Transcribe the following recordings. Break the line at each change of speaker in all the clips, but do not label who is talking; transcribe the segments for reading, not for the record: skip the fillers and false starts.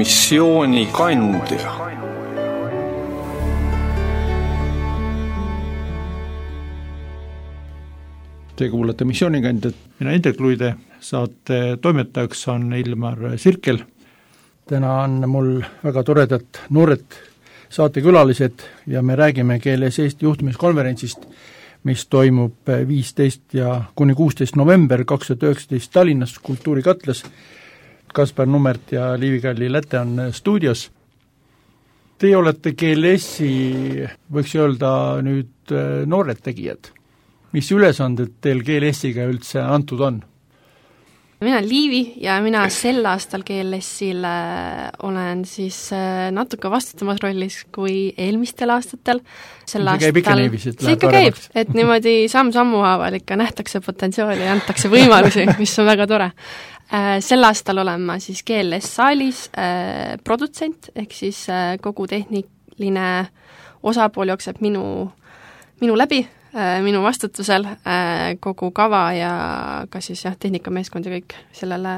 missioonikandja.
Te kuulate missioonikandjat, mina Indrek Luide, saate toimetajaks on Ilmar Sirkel. Täna on mul väga toredad noored saatekülalised ja me räägime Keeles Eesti juhtimiskonverentsist, mis toimub 15 ja kuni 16 november 2019 Tallinnas Kultuurikatlas. Kaspar Nummert ja Liivi Kalli-Läte on stuudios. Teie olete KLS-i, võiks öelda nüüd noored tegijad. Mis ülesanded teil KLS-iga üldse antud on?
Mina olen Liivi ja mina sel aastal KLS-il olen siis natuke vastutamas rollis kui eelmistel aastatel. See
käib ikka niivis, et
läheb paremaks. Et niimoodi samm-sammu haaval ikka nähtakse potentsiaali ja antakse võimalusi, mis on väga tore. Sel aastal olen ma siis KLS-saalis produtsent, ehk siis kogu tehniline osapool jookseb minu läbi, minu vastutusel kogu kava ja ka siis tehnikameeskond ja kõik sellele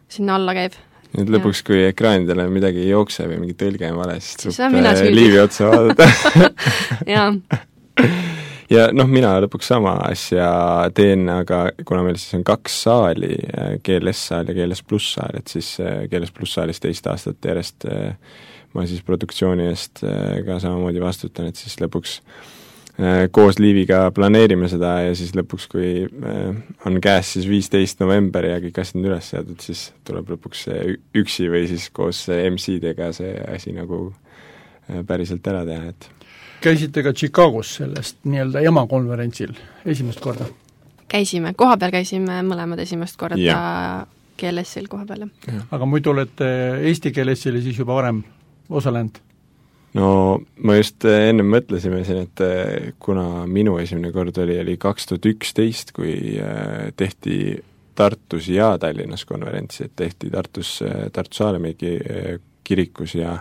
sinna alla käib.
Nüüd lõpuks, kui ekraanidele midagi ei jookse või mingi tõlge on vale, siis
tuleb
Liivi otsa vaadata.
Jaa.
Ja mina lõpuks sama asja teen, aga kuna meil siis on 2 saali, GLS-saal ja GLS Plus saal, et siis GLS Plus saalis 2 aastat järjest ma siis produktsiooni eest ka samamoodi vastutan, et siis lõpuks koos Liiviga planeerime seda ja siis lõpuks, kui on käes siis 15 november ja kõik asjad on üles seadud, siis tuleb lõpuks üksi või siis koos MC-dega see asi nagu päriselt ära teha, et
Käisite ka Chicagos sellest nii-öelda emakonverentsil esimest korda?
Käisime, kohapeal käisime mõlemad esimest korda KLS-il kohapeal.
Aga muidu olete Eesti KLS-ile siis juba varem osalenud?
No ma just enne mõtlesime siin, et kuna minu esimene kord oli 2011, kui tehti Tartus ja Tallinnas konverentsi, et tehti Tartu Saalemägi kirikus ja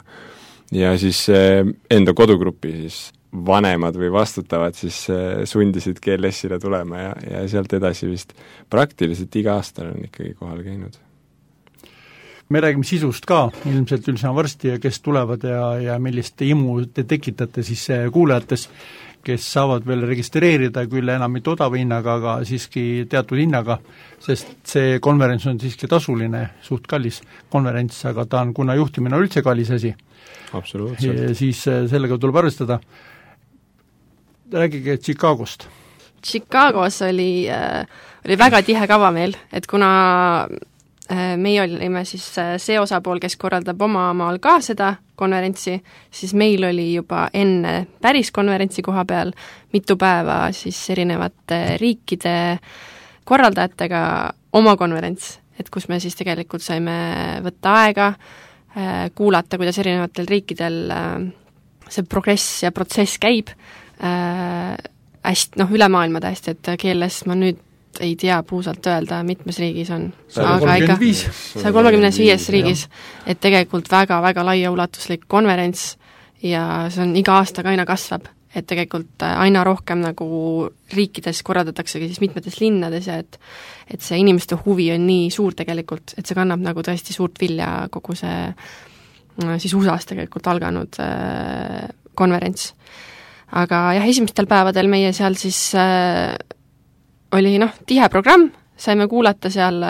siis enda kodugrupi siis vanemad või vastutavad siis sundisid KLS-ile tulema ja sealt edasi vist praktiliselt iga aastal on ikkagi kohal käinud.
Me räägime sisust ka ilmselt üldse varsti ja kes tulevad ja millist imu te tekitate siis kuulajates, kes saavad veel registreerida küll enam mitte odava hinnaga, aga siiski teatud hinnaga, sest see konverents on siiski tasuline, suht kallis konverents, aga ta on, kuna juhtimine on üldse kallis asi, siis sellega tuleb arvestada. Räägige Chicagost.
Chicagos oli väga tihe kava meil, et kuna meie olime siis see osapool, kes korraldab oma maal ka seda konverentsi, siis meil oli juba enne päris konverentsi koha peal mitu päeva siis erinevate riikide korraldajatega oma konverents, et kus me siis tegelikult saime võtta aega, kuulata, kuidas erinevatel riikidel see progress ja protsess käib, hästi, üle maailma tähesti, et KLS ma nüüd ei tea puusalt öelda, mitmes riigis on. 135 riigis, et tegelikult väga-väga laiaulatuslik konverents ja see on iga aastaga aina kasvab, et tegelikult aina rohkem nagu riikides korraldataksegi siis mitmetes linnades ja et see inimeste huvi on nii suur tegelikult, et see kannab nagu tõesti suurt vilja kogu see siis USA-s tegelikult alganud konverents. Aga esimestel päevadel meie seal siis oli tihe programm, saime kuulata seal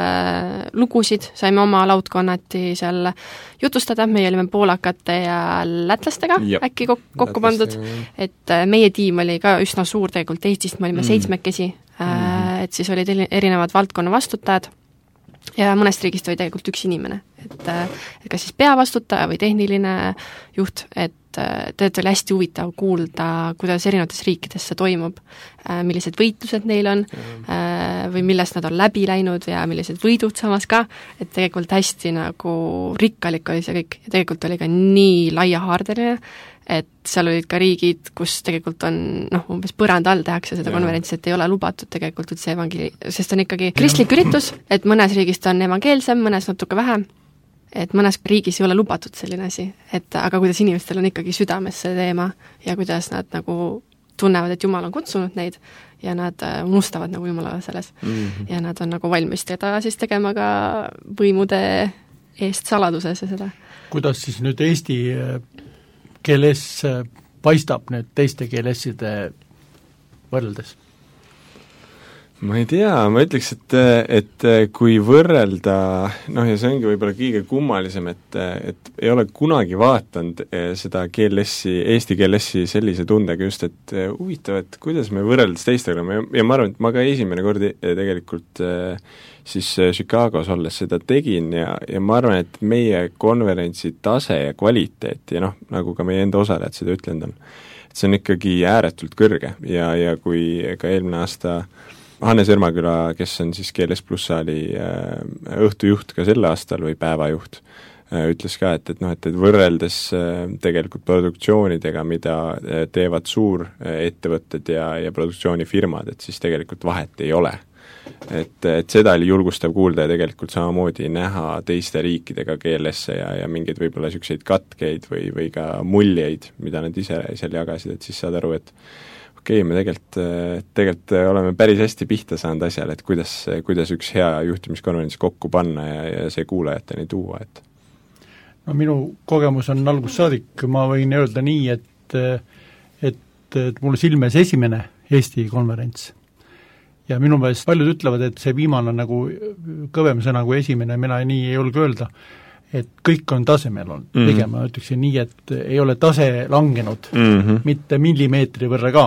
lugusid, saime oma laudkonnati seal jutustada, meie olime poolakate ja lätlastega äkki kokku pandud, et meie tiim oli ka üsna suur tegelikult Eestist, me olime 7, et siis olid erinevad valdkonna vastutajad ja mõnest riigist oli tegelikult üks inimene, et kas siis peavastutaja või tehniline juht, et tegelikult oli hästi huvitav kuulda, kuidas erinevates riikides see toimub, millised võitlused neil on või millest nad on läbi läinud ja millised võidud samas ka, et tegelikult hästi nagu rikkalik oli see kõik ja tegelikult oli ka nii laiahaardeline, et seal olid ka riigid, kus tegelikult on umbes põranda all tehakse seda konverentsi, et ei ole lubatud tegelikult üldse sest on ikkagi kristlik üritus, et mõnes riigist on evangeelsem, mõnes natuke vähem, et mõnes riigis ei ole lubatud selline asi, aga kuidas inimestel on ikkagi südames see teema ja kuidas nad nagu tunnevad, et Jumal on kutsunud neid ja nad unustavad nagu Jumalale selles ja nad on nagu valmis teda siis tegema ka võimude eest saladuses ja seda.
Kuidas siis nüüd eesti keeles paistab nüüd teiste keelesside võrreldes?
Ma ei tea, ma ütleks, et kui võrrelda, ja see ongi võib-olla kõige kummalisem, et ei ole kunagi vaatanud seda eesti keelessi sellise tundega just, et huvitav, et kuidas me võrreldes teistega ja ma arvan, et ma ka esimene kord tegelikult siis Chicagos olles seda tegin ja ma arvan, et meie konverentsi tase ja kvaliteet ja nagu ka meie enda osalejad seda ütlenud on, et see on ikkagi ääretult kõrge ja kui ka eelmine aasta Hannes Ermaküla, kes on siis Keeles Pluss saali õhtujuht ka sel aastal või päevajuht, ütles ka, et võrreldes tegelikult produktsioonidega, mida teevad suurettevõtted ja produktsioonifirmad, et siis tegelikult vahet ei ole. Et seda oli julgustav kuulda ja tegelikult samamoodi näha teiste riikidega keelesse ja mingeid võib-olla niisuguseid katkeid või ka muljeid, mida nad ise seal jagasid, et siis saad aru, et me tegelikult oleme päris hästi pihta saanud asjale, et kuidas üks hea juhtimiskonverents kokku panna ja see kuulajateni tuua, et
no minu kogemus on algusest saadik, ma võin öelda nii, et mulle silmes esimene Eesti konverents ja minu meelest paljud ütlevad, et see viimane on nagu kõvem sõna kui esimene, mina nii ei julge öelda, et kõik on tasemel olnud, pigem ma ütleksin nii, et ei ole tase langenud, mitte millimeetri võrra ka.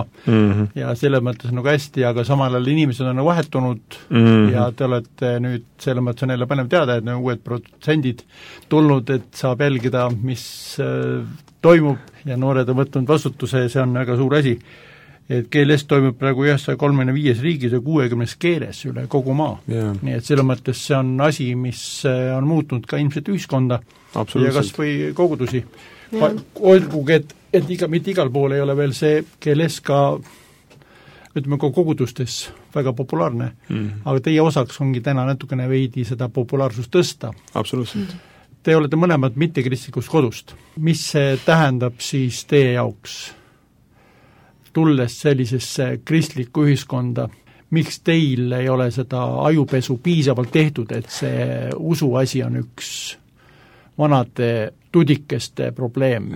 Ja selles mõttes nagu hästi, aga samal ajal inimesed on vahetunud ja te olete nüüd, selles mõttes on jälle palju teada, et uued protsendid tulnud, et saab jälgida, mis toimub ja noored on võtnud vastutuse ja see on väga suur asi. Et keeles toimub praegu 135 riigis ja 60 keeles üle kogu maa. Nii et selles mõttes see on asi, mis on muutnud ka ilmselt ühiskonda ja kas või kogudusi. Olgugi, et mitte igal pool ei ole veel see keeles ka, ütleme ka kogudustes väga populaarne, aga teie osaks ongi täna natukene veidi seda populaarsust tõsta.
Absoluutselt.
Te olete mõlemad mittekristlikust kodust. Mis see tähendab siis teie jaoks? Tulles sellisesse kristlikku ühiskonda, miks teil ei ole seda ajupesu piisavalt tehtud, et see usuasi on üks vanade tudikeste probleem,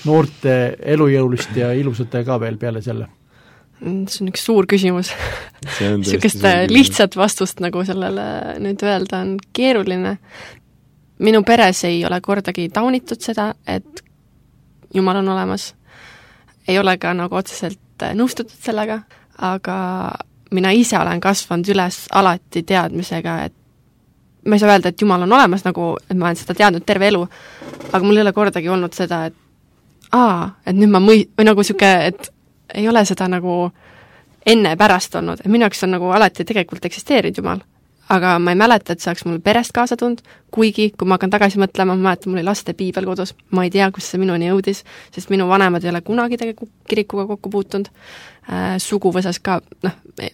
noorte elujõulist ja ilusate ka veel peale selle?
See on üks suur küsimus. Niisugust lihtsat vastust nagu sellele nüüd öelda on keeruline. Minu peres ei ole kordagi taunitud seda, et Jumal on olemas. Ei ole ka nagu otseselt nõustutud sellega, aga mina ise olen kasvanud üles alati teadmisega, et ma ei saa öelda, et Jumal on olemas, nagu, et ma olen seda teadnud terve elu, aga mul ei ole kordagi olnud seda, et nüüd ma või nagu siuke, et ei ole seda nagu enne ja pärast olnud, et minu jaoks on nagu alati tegelikult eksisteerinud Jumal. Aga ma ei mäleta, et see oleks mul perest kaasa tulnud, kuigi kui ma hakkan tagasi mõtlema, ma mäletan, mul oli laste piibel kodus, ma ei tea, kus see minuni jõudis, sest minu vanemad ei ole kunagi kirikuga kokku puutunud, suguvõsas ka,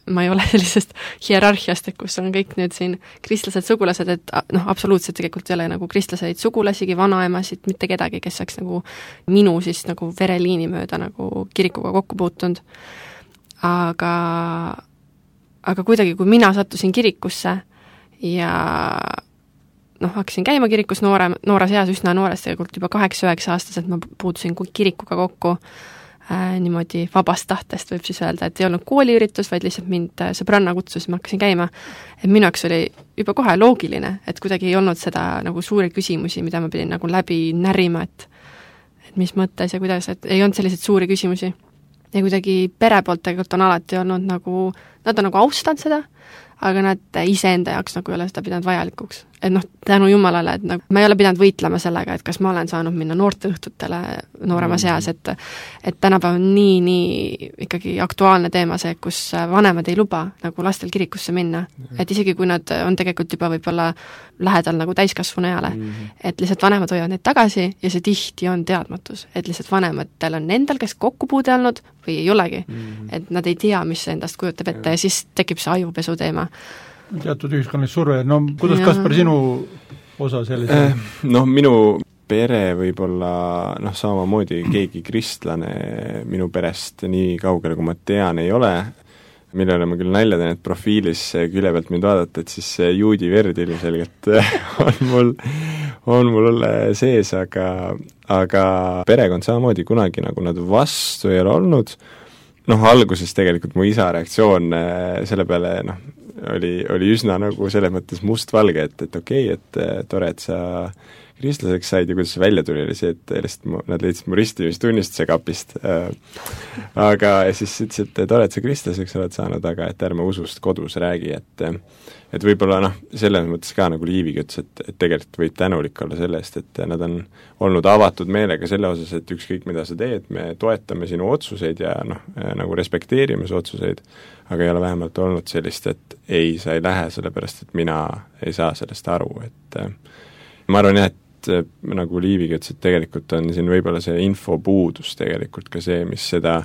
ma ei ole sellisest hierarhiast, et kus on kõik nüüd siin kristlased sugulased, et absoluutselt tegelikult ei ole nagu kristlaseid sugulasigi, vanaemasid, mitte kedagi, kes oleks nagu minu siis nagu vereliini mööda nagu kirikuga kokku puutunud, aga kuidagi, kui mina sattusin kirikusse ja hakkasin käima kirikus noores eas, üsna noores, tegelikult juba 8-9 aastaselt ma puutusin kirikuga kokku niimoodi vabast tahtest, võib siis öelda, et ei olnud kooliüritus, vaid lihtsalt mind sõbranna kutsus, ma hakkasin käima. Et minu jaoks oli juba kohe loogiline, et kuidagi ei olnud seda nagu suuri küsimusi, mida ma pidin nagu läbi närima, et mis mõttes ja kuidas, et ei olnud selliseid suuri küsimusi. Ja kuidagi pere poolt tegelikult on alati olnud nagu, nad on nagu austanud seda, aga nad iseenda jaoks nagu ei ole seda pidanud vajalikuks. Et tänu Jumalale, et nagu, ma ei ole pidanud võitlema sellega, et kas ma olen saanud minna noorteõhtutele nooremas eas, et tänapäev on nii ikkagi aktuaalne teema see, kus vanemad ei luba nagu lastel kirikusse minna. Et isegi kui nad on tegelikult juba võib-olla lähedal nagu täiskasvanu eale, et lihtsalt vanemad hoiavad neid tagasi ja see tihti on teadmatus, et lihtsalt vanematel on endal, kes kokkupuude olnud või ei olegi, et nad ei tea, mis see endast kujutab ette ja siis tekib see ajupesu teema.
Teatud ühiskonnalik surve, kuidas Kaspar sinu osa sellise?
Minu pere võib-olla samamoodi keegi kristlane minu perest nii kaugele, kui ma tean, ei ole, millele ma küll nalja teen, et profiilis külje pealt mind vaadata, et siis see juudi verd ilmselgelt on mul sees, aga perekond samamoodi kunagi nagu nad vastu ei ole olnud. Alguses tegelikult mu isa reaktsioon selle peale, oli üsna nagu selles mõttes mustvalge, et okei, et tore, et sa kristlaseks said ja kuidas see välja tuli, oli see, et nad leidsid mu ristimistunnistuse kapist. Aga siis ütles, et tore, et sa kristlaseks oled saanud, aga et ärme usust kodus räägi, et võib-olla selles mõttes ka nagu Liivigi ütles, et tegelikult võid tänulik olla selle eest, et nad on olnud avatud meelega selle osas, et ükskõik mida sa teed, me toetame sinu otsuseid ja nagu respekteerime su otsuseid, aga ei ole vähemalt olnud sellist, et ei, sa ei lähe sellepärast, et mina ei saa sellest aru, et ma arvan jah, et nagu Liivigi ütles, et tegelikult on siin võib-olla see infopuudus tegelikult ka see, mis seda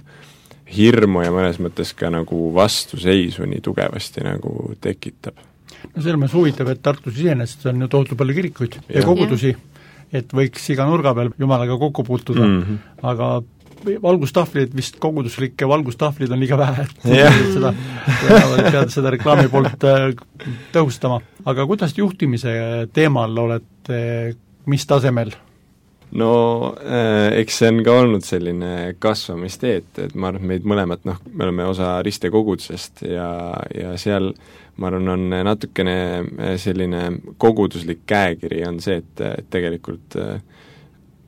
hirmu ja mõnes mõttes ka nagu vastuseisu nii tugevasti nagu tekitab.
Selles mõttes huvitav, et Tartus iseenesest on ju tohutu palju kirikuid ja kogudusi, et võiks iga nurga peal Jumalaga kokku puutuda, aga valgustahvlid, vist koguduslikke valgustahvlid on liiga vähe, et seda reklaami poolt tõhustama. Aga kuidas juhtimise teemal olete, mis tasemel?
Eks see on ka olnud selline kasvamistee, et ma arvan, et meid mõlemad, me oleme osa Riste kogudusest ja seal ma arvan, on natukene selline koguduslik käekiri on see, et tegelikult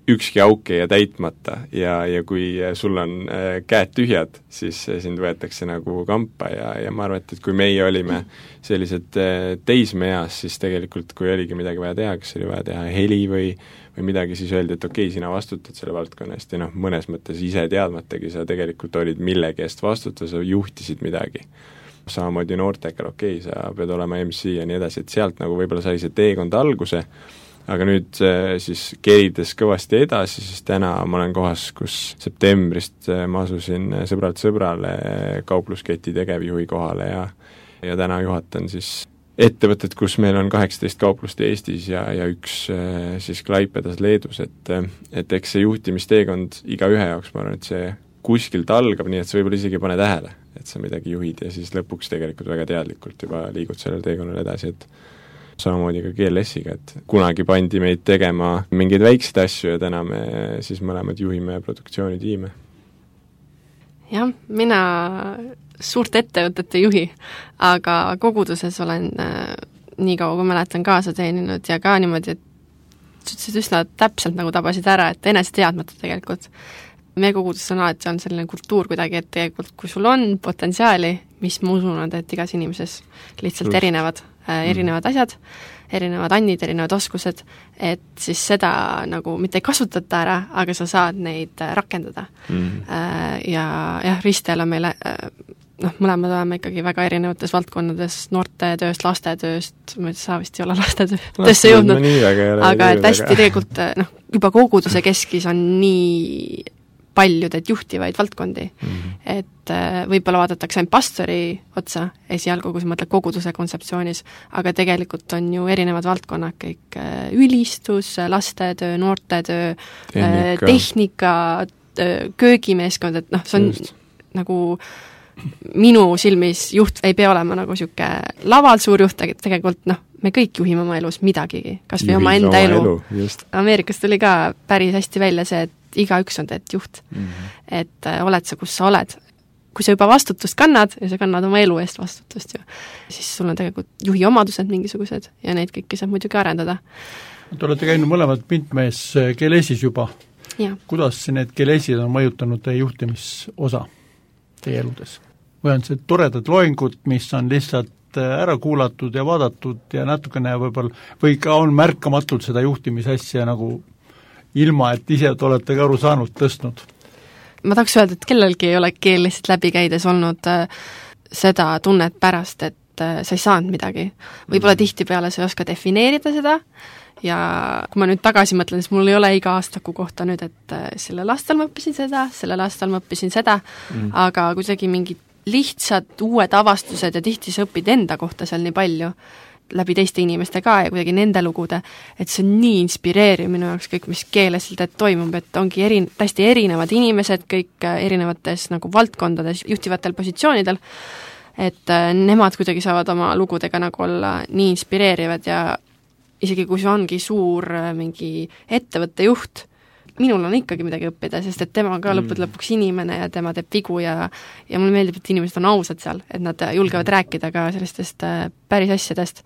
ükski auk ei jää täitmata ja kui sul on käed tühjad, siis sind võetakse nagu kampa ja ma arvan, et kui meie olime sellised teismeeas, siis tegelikult kui oligi midagi vaja teha, kas oli vaja teha heli või midagi, siis öeldi, et okei, sina vastutad selle valdkonna eest ja mõnes mõttes ise teadmatagi sa tegelikult olid millegi eest vastutada, sa juhtisid midagi. Samamoodi noortega, okei, sa pead olema MC ja nii edasi, et sealt nagu võib-olla sai see teekond alguse, aga nüüd siis kerides kõvasti edasi, siis täna ma olen kohas, kus septembrist ma asusin sõbralt sõbrale kauplusketi tegevjuhi kohale ja täna juhatan siis ettevõtted, kus meil on 18 kauplust Eestis ja üks siis Klaipedas Leedus, et eks see juhtimisteekond iga ühe jaoks, ma arvan, et see kuskilt algab, nii et sa võib-olla isegi pane tähele, et sa midagi juhid ja siis lõpuks tegelikult väga teadlikult juba liigud sellel teekonnal edasi, et samamoodi ka GLS-iga, et kunagi pandi meid tegema mingeid väikseid asju ja täna me siis mõlemad juhime produktsioonitiime.
Jah, mina suurt ettevõtete juhi, aga koguduses olen nii kaua, kui mäletan kaasa teeninud ja ka niimoodi, et üsna täpselt nagu tabasid ära, et enese teadmata tegelikult. Meie koguduses on alati on selline kultuur kuidagi, et tegelikult kui sul on potentsiaali, mis ma usun, et igas inimeses lihtsalt erinevad asjad, erinevad annid, erinevad oskused, et siis seda nagu mitte ei kasutata ära, aga sa saad neid rakendada. Ja Ristel on meile, mõlemad oleme ikkagi väga erinevates valdkonnades, noortetööst, lastetööst, ma sa vist ei ole lastetöösse jõudnud, aga et hästi tegelikult juba koguduse keskis on nii paljud, et juhtivaid valdkondi. Et võib-olla vaadatakse ainult pastori otsa esialgu, kui sa mõtled koguduse kontseptsioonis, aga tegelikult on ju erinevad valdkonnad, kõik ülistus, lastetöö, noortetöö, tehnika, köögimeeskond, et see on nagu minu silmis juht ei pea olema nagu siuke laval suur juht, tegelikult me kõik juhime oma elus midagigi, kas või oma enda elu. Ameerikas tuli ka päris hästi välja see, et igaüks on teed juht. Et oled sa, kus sa oled. Kui sa juba vastutust kannad ja sa kannad oma elu eest vastutust, siis sul on tegelikult juhi omadused mingisugused ja neid kõiki saab muidugi arendada.
Te olete käinud mõlemad Pintmees GLS-is juba.
Ja.
Kuidas need GLS-id on mõjutanud teie juhtimisosa teie eludes? Või on see toredad loengud, mis on lihtsalt ära kuulatud ja vaadatud ja natukene või ka on märkamatult seda juhtimisasja nagu ilma, et ise olete ka aru saanud, tõstnud? Ma tahaks öelda, et kellelgi ei ole keelest läbi käides olnud seda tunnet pärast, et sa ei saanud midagi. Võib-olla tihtipeale sa ei oska defineerida seda ja kui ma nüüd tagasi mõtlen, siis mul ei ole iga aastaku kohta nüüd, et sellel aastal ma õppisin seda, sellel aastal ma õppisin seda, aga kuidagi mingid lihtsad uued avastused ja tihti sa õpid enda kohta seal nii palju läbi teiste inimeste ka ja kuidagi nende lugude, et see on nii inspireeriv minu jaoks kõik, mis keeleselt toimub, et ongi täiesti erinevad inimesed, kõik erinevates nagu valdkondades, juhtivatel positsioonidel,
et nemad kuidagi saavad oma lugudega nagu olla nii inspireerivad ja isegi kui see ongi suur mingi ettevõtte juht, minul on ikkagi midagi õppida, sest et tema on ka lõpuks inimene ja tema teeb vigu ja mulle meeldib, et inimesed on ausad seal, et nad julgevad rääkida ka sellistest päris asjadest.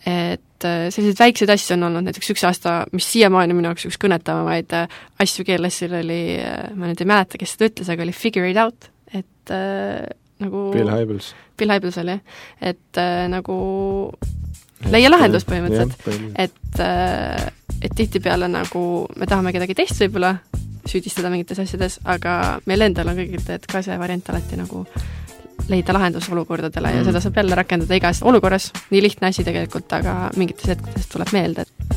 Et sellised väiksed asju on olnud näiteks üks aasta, mis siiamaani minu jaoks üks kõnetavamaid asju GLS-il oli, ma nüüd ei mäleta, kes seda ütles, aga oli figure it out, et nagu
Bill Hybels
oli, et nagu leia lahendus põhimõtteliselt, et tihtipeale nagu me tahame kedagi teist võib-olla süüdistada mingites asjades, aga meil endal on kõigil ka see variant alati nagu leida lahendus olukordadele ja seda saab jälle rakendada igas olukorras, nii lihtne asi tegelikult, aga mingites hetkedes tuleb meelde, et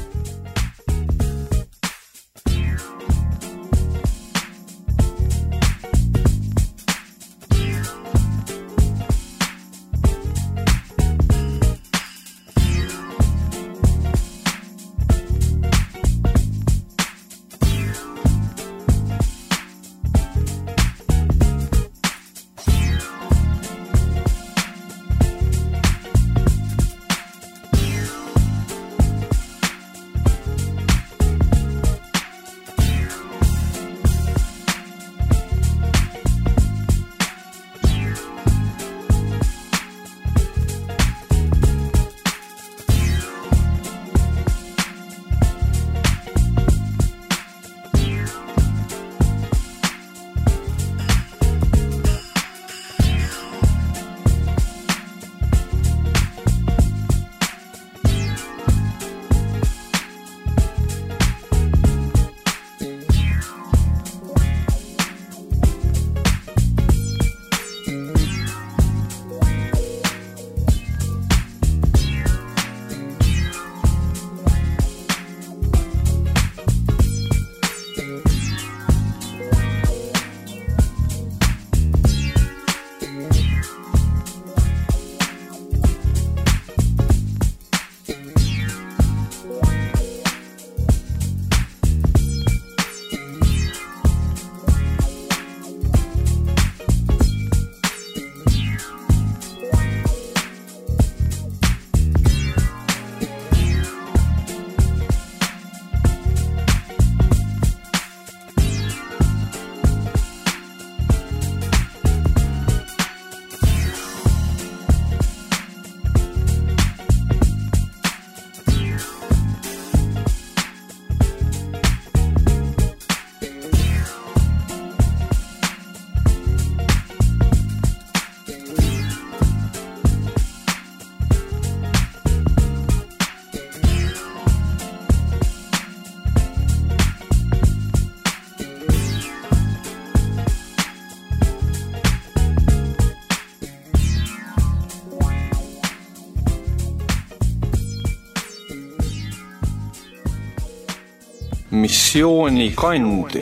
missioonikandja.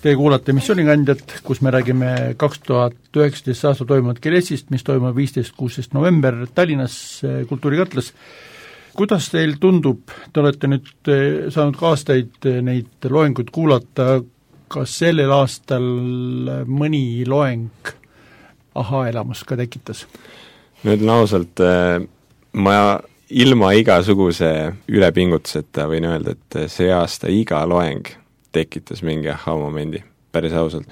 Te kuulate missioonikandjat, kus me räägime 2019 aasta toimunud GLS-ist, mis toimub 15-16 november Tallinnas Kultuurikatlas. Kuidas teil tundub, te olete nüüd saanud ka aastaid neid loenguid kuulata, kas sellel aastal mõni loeng aha-elamus ka tekitas?
Nüüd ausalt, ma ilma igasuguse ülepingutuseta võin öelda, et see aasta iga loeng tekitas mingi aha-momendi, päris ausalt.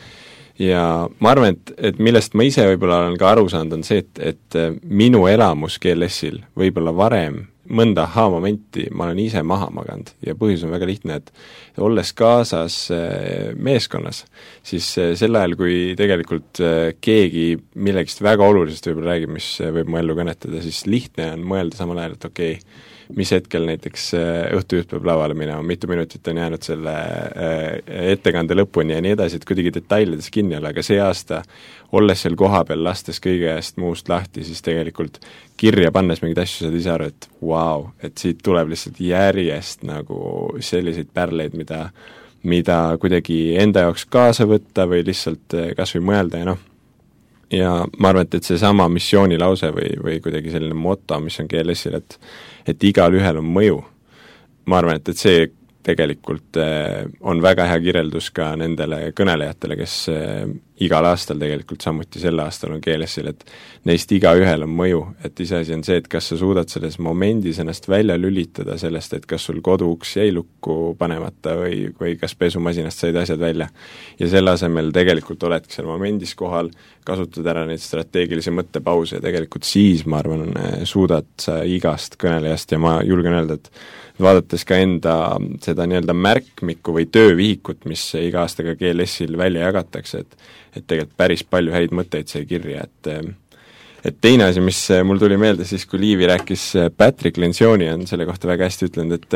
Ja ma arvan, et millest ma ise võib-olla olen ka aru saanud, on see, et minu elamus GLS-il võib-olla varem mõnda aha-momenti ma olen ise maha maganud ja põhjus on väga lihtne, et olles kaasas meeskonnas, siis sel ajal, kui tegelikult keegi millegist väga olulisest võib-olla räägib, mis võib mu ellu kõnetada, siis lihtne on mõelda samal ajal, et okei, mis hetkel näiteks õhtujuht peab lavale minema, mitu minutit on jäänud selle ettekande lõpuni ja nii edasi, et kuidagi detailides kinni olla, aga see aasta, olles seal koha peal, lastes kõigest muust lahti, siis tegelikult kirja pannes mingid asju saad ise aru, et vau, et siit tuleb lihtsalt järjest nagu selliseid pärleid, mida kuidagi enda jaoks kaasa võtta või lihtsalt kas või mõelda ja ja ma arvan, et see sama missioonilause või kuidagi selline moto, mis on GLS-il, et igal ühel on mõju, ma arvan, et see tegelikult on väga hea kirjeldus ka nendele kõnelejatele, kes igal aastal tegelikult samuti sel aastal on GLS-il, et neist iga ühel on mõju, et iseasi on see, et kas sa suudad selles momendis ennast välja lülitada sellest, et kas sul koduuks jäi lukku panemata või kas pesumasinast said asjad välja. Ja selle asemel tegelikult oledki seal momendis kohal, kasutad ära neid strateegilisi mõttepause ja tegelikult siis, ma arvan, suudad sa igast kõnelejast ja ma julgen öelda, et vaadates ka enda seda nii-öelda märkmikku või töövihikut, mis iga aastaga GLS-il välja jagatakse, et tegelikult päris palju häid mõtteid sai kirja, et teine asi, mis mul tuli meelde siis, kui Liivi rääkis, Patrick Lencioni on selle kohta väga hästi ütlenud,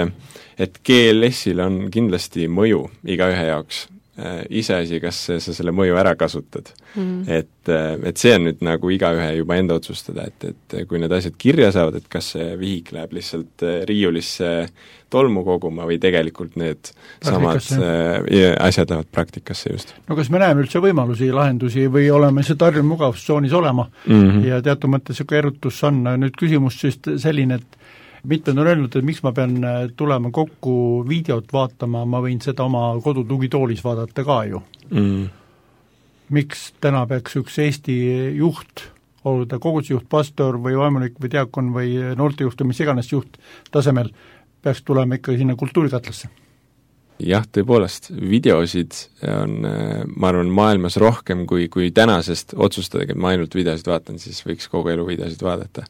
et GLS-il on kindlasti mõju iga ühe jaoks, iseasi, kas sa selle mõju ära kasutad. Et see on nüüd nagu igaühe juba enda otsustada, et kui need asjad kirja saavad, et kas see vihik läheb lihtsalt riiulisse tolmu koguma või tegelikult need samad asjad lähevad praktikasse just.
No kas me näeme üldse võimalusi, lahendusi või oleme see tarjun mugavustsoonis olema ja teatud mõttes siuke erutus on. Nüüd küsimus siis selline, et mitmed on öelnud, et miks ma pean tulema kokku videot vaatama, ma võin seda oma kodutugitoolis vaadata ka ju. Miks täna peaks üks Eesti juht, olgu ta kogudusjuht, pastor või vaimulik või diakon või noortejuht või mis iganes juht tasemel, peaks tulema ikka sinna kultuurikatlasse?
Jah, tõepoolest, videosid on, ma arvan, maailmas rohkem kui tänasest otsustadagi, et ma ainult videosid vaatan, siis võiks kogu elu videosid vaadata.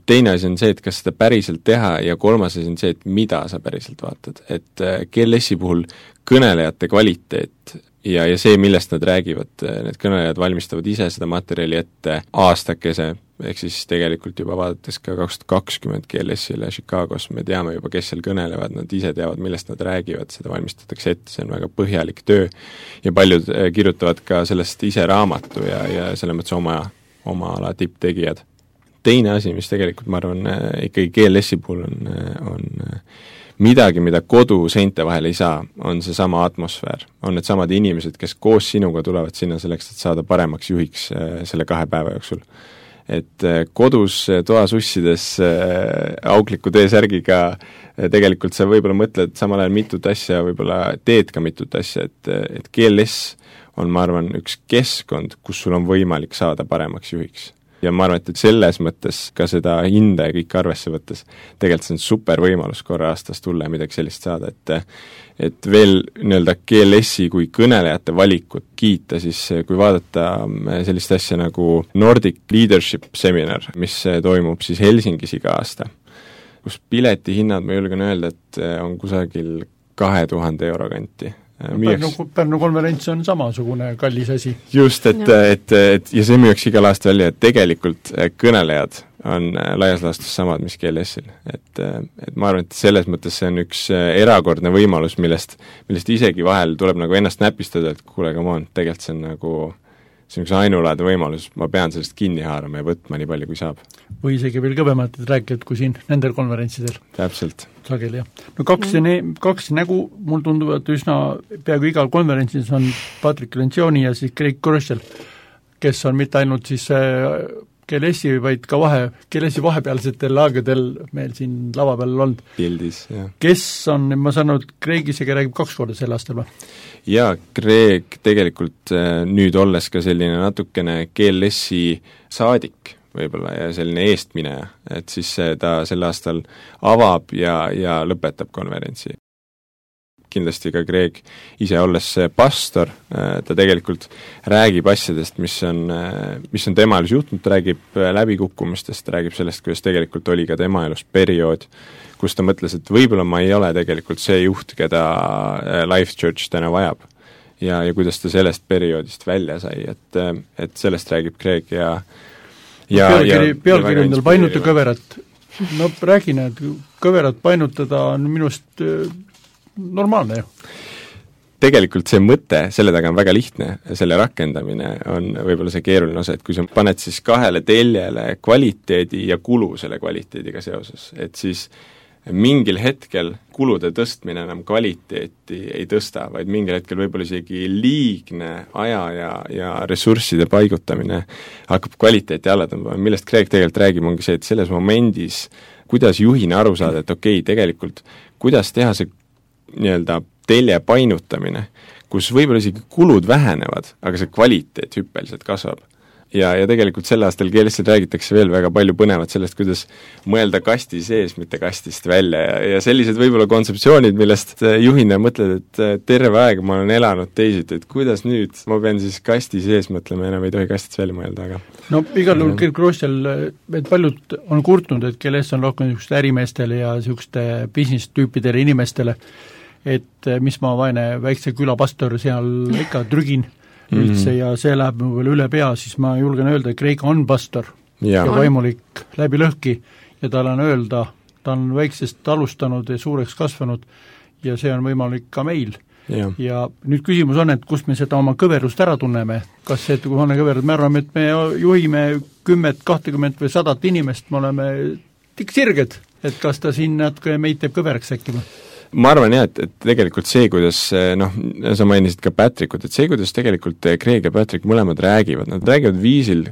Teine asi on see, et kas seda päriselt teha ja kolmas asi on see, et mida sa päriselt vaatad. Et GLS-i puhul kõnelejate kvaliteet ja see, millest nad räägivad, need kõnelejad valmistavad ise seda materjali ette aastakese, ehk siis tegelikult juba vaadates ka 2020 GLS-ile Chicagos, me teame juba, kes seal kõnelevad, nad ise teavad, millest nad räägivad, seda valmistatakse ette, see on väga põhjalik töö ja paljud kirjutavad ka sellest ise raamatu ja selle mõttes oma ala tipptegijad. Teine asi, mis tegelikult, ma arvan, ikkagi GLS-i puhul on midagi, mida kodu seinte vahel ei saa, on see sama atmosfäär. On need samad inimesed, kes koos sinuga tulevad sinna selleks, et saada paremaks juhiks selle 2 päeva jooksul. Et kodus toas ussides aukliku T-särgiga tegelikult sa võib-olla mõtled samal ajal mitut asja, võib-olla teed ka mitut asja, et GLS on, ma arvan, üks keskkond, kus sul on võimalik saada paremaks juhiks. Ja ma arvan, et selles mõttes ka seda hinda ja kõik arvesse võttes tegelikult see on super võimalus korra aastas tulla ja midagi sellist saada, et veel nii-öelda GLS-i kui kõnelejate valikut kiita, siis kui vaadata sellist asja nagu Nordic Leadership Seminar, mis toimub siis Helsingis iga aasta, kus piletihinnad, ma julgen öelda, et on kusagil 2000 euro kanti.
Pärnu konverents on samasugune kallis asi.
Just, et ja see müüakse igal aasta välja, et tegelikult kõnelejad on laias laastus samad, mis GLS-il. Et ma arvan, et selles mõttes see on üks erakordne võimalus, millest isegi vahel tuleb nagu ennast näpistada, et kuule, come on, tegelikult see on nagu see on üks ainulaadne võimalus, ma pean sellest kinni haarama ja võtma nii palju, kui saab.
Või isegi veel kõvemalt rääkijad kui siin nendel konverentsidel.
Täpselt.
Sageli, jah. No kaks nägu, mul tunduvad üsna peaaegu igal konverentsis on Patrick Lencioni ja siis Craig Groeschel, kes on mitte ainult siis GLS-i, vaid ka GLS-i vahepealsetel aegadel meil siin lava peal olnud.
Pildis, jah.
Kes on, ma saan aru, Craig isegi räägib 2 korda sel aastal või?
Jaa, Craig tegelikult nüüd olles ka selline natukene GLS-i saadik võib-olla ja selline eestmineja, et siis ta sel aastal avab ja lõpetab konverentsi. Kindlasti ka Craig ise olles pastor, ta tegelikult räägib asjadest, mis on tema elus juhtunud, ta räägib läbikukkumistest, ta räägib sellest, kuidas tegelikult oli ka tema elus periood, kus ta mõtles, et võib-olla ma ei ole tegelikult see juht, keda Life Church täna vajab. Ja kuidas ta sellest perioodist välja sai, et sellest räägib Craig ja
pealkiri endal painuta kõverat. No räägin, et kõverat painutada on minust normaalne ju.
Tegelikult see mõte, selle taga on väga lihtne, selle rakendamine on võib-olla see keeruline osa, et kui sa paned siis 2 teljele kvaliteedi ja kulu selle kvaliteediga seoses, et siis mingil hetkel kulude tõstmine enam kvaliteeti ei tõsta, vaid mingil hetkel võib-olla isegi liigne aja ja ressursside paigutamine hakkab kvaliteeti alla tõmbama, millest Greg tegelikult räägib, ongi see, et selles momendis kuidas juhina aru saada, et okei, tegelikult kuidas teha see nii-öelda telje painutamine, kus võib-olla isegi kulud vähenevad, aga see kvaliteet hüppeliselt kasvab. Ja tegelikult sel aastal keelestel räägitakse veel väga palju põnevat sellest, kuidas mõelda kasti sees, mitte kastist välja ja sellised võib-olla kontseptsioonid, millest juhina mõtled, et terve aeg ma olen elanud teisiti, et kuidas nüüd ma pean siis kasti sees mõtlema, enam ei tohi kastist välja mõelda, aga
no igal juhul Kirk Roostel, et paljud on kurtnud, et KLS on rohkem niisuguste ärimeestele ja niisuguste business-tüüpidele inimestele, et mis ma vaene väikse külapastor seal ikka trügin üldse ja see läheb mu veel üle pea, siis ma julgen öelda, et Kreeka on pastor ja vaimulik läbi lõhki ja tal on öelda, ta on väiksest alustanud ja suureks kasvanud ja see on võimalik ka meil. Ja nüüd küsimus on, et kust me seda oma kõverust ära tunneme, kas see, et kui on kõverud, me arvame, et me juhime 10, 20 või 100 inimest, me oleme sirged, et kas ta siin natuke meid teeb kõveraks äkki või?
Ma arvan jah, et tegelikult see, kuidas sa mainisid ka Patrickut, et see, kuidas tegelikult Greg ja Patrick mõlemad räägivad, nad räägivad viisil,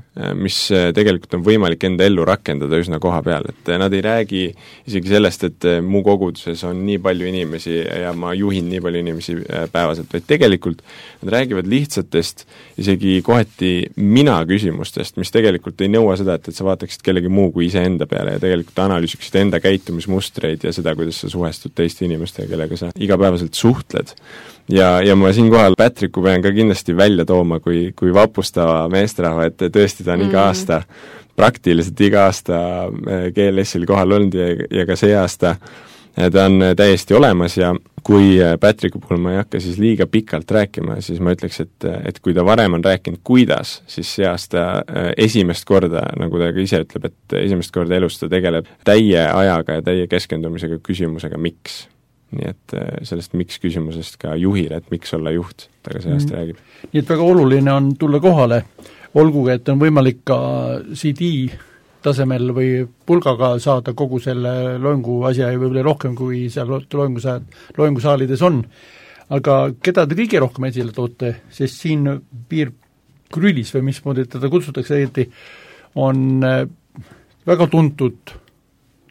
mis tegelikult on võimalik enda ellu rakendada üsna koha peal, et nad ei räägi isegi sellest, et mu koguduses on nii palju inimesi ja ma juhin nii palju inimesi päevaselt, vaid tegelikult nad räägivad lihtsatest, isegi kohati mina küsimustest, mis tegelikult ei nõua seda, et sa vaataksid kellegi muu kui iseenda peale ja tegelikult analüüsiksid enda käitumismustreid ja seda, kuidas sa suhestud teiste inimestega, kellega sa igapäevaselt suhtled. Ja ma siinkohal Patricku pean ka kindlasti välja tooma kui vapustava meesterahva, et tõesti ta on iga aasta, praktiliselt iga aasta GLS-il kohal olnud ja ka see aasta ta on täiesti olemas ja kui Patricku puhul ma ei hakka siis liiga pikalt rääkima, siis ma ütleks, et kui ta varem on rääkinud kuidas, siis see aasta esimest korda, nagu ta ka ise ütleb, et esimest korda elus ta tegeleb täie ajaga ja täie keskendumisega küsimusega miks. Nii et sellest miks küsimusest ka juhile, et miks olla juht, ta ka see aasta räägib.
Nii et väga oluline on tulla kohale, olgugi, et on võimalik ka CD tasemel või pulgaga saada kogu selle loengu asja ja võib-olla rohkem, kui seal loengusaalides on. Aga keda te kõige rohkem esile toote, sest siin Pier Krülis või mismoodi teda kutsutakse õieti, on väga tuntud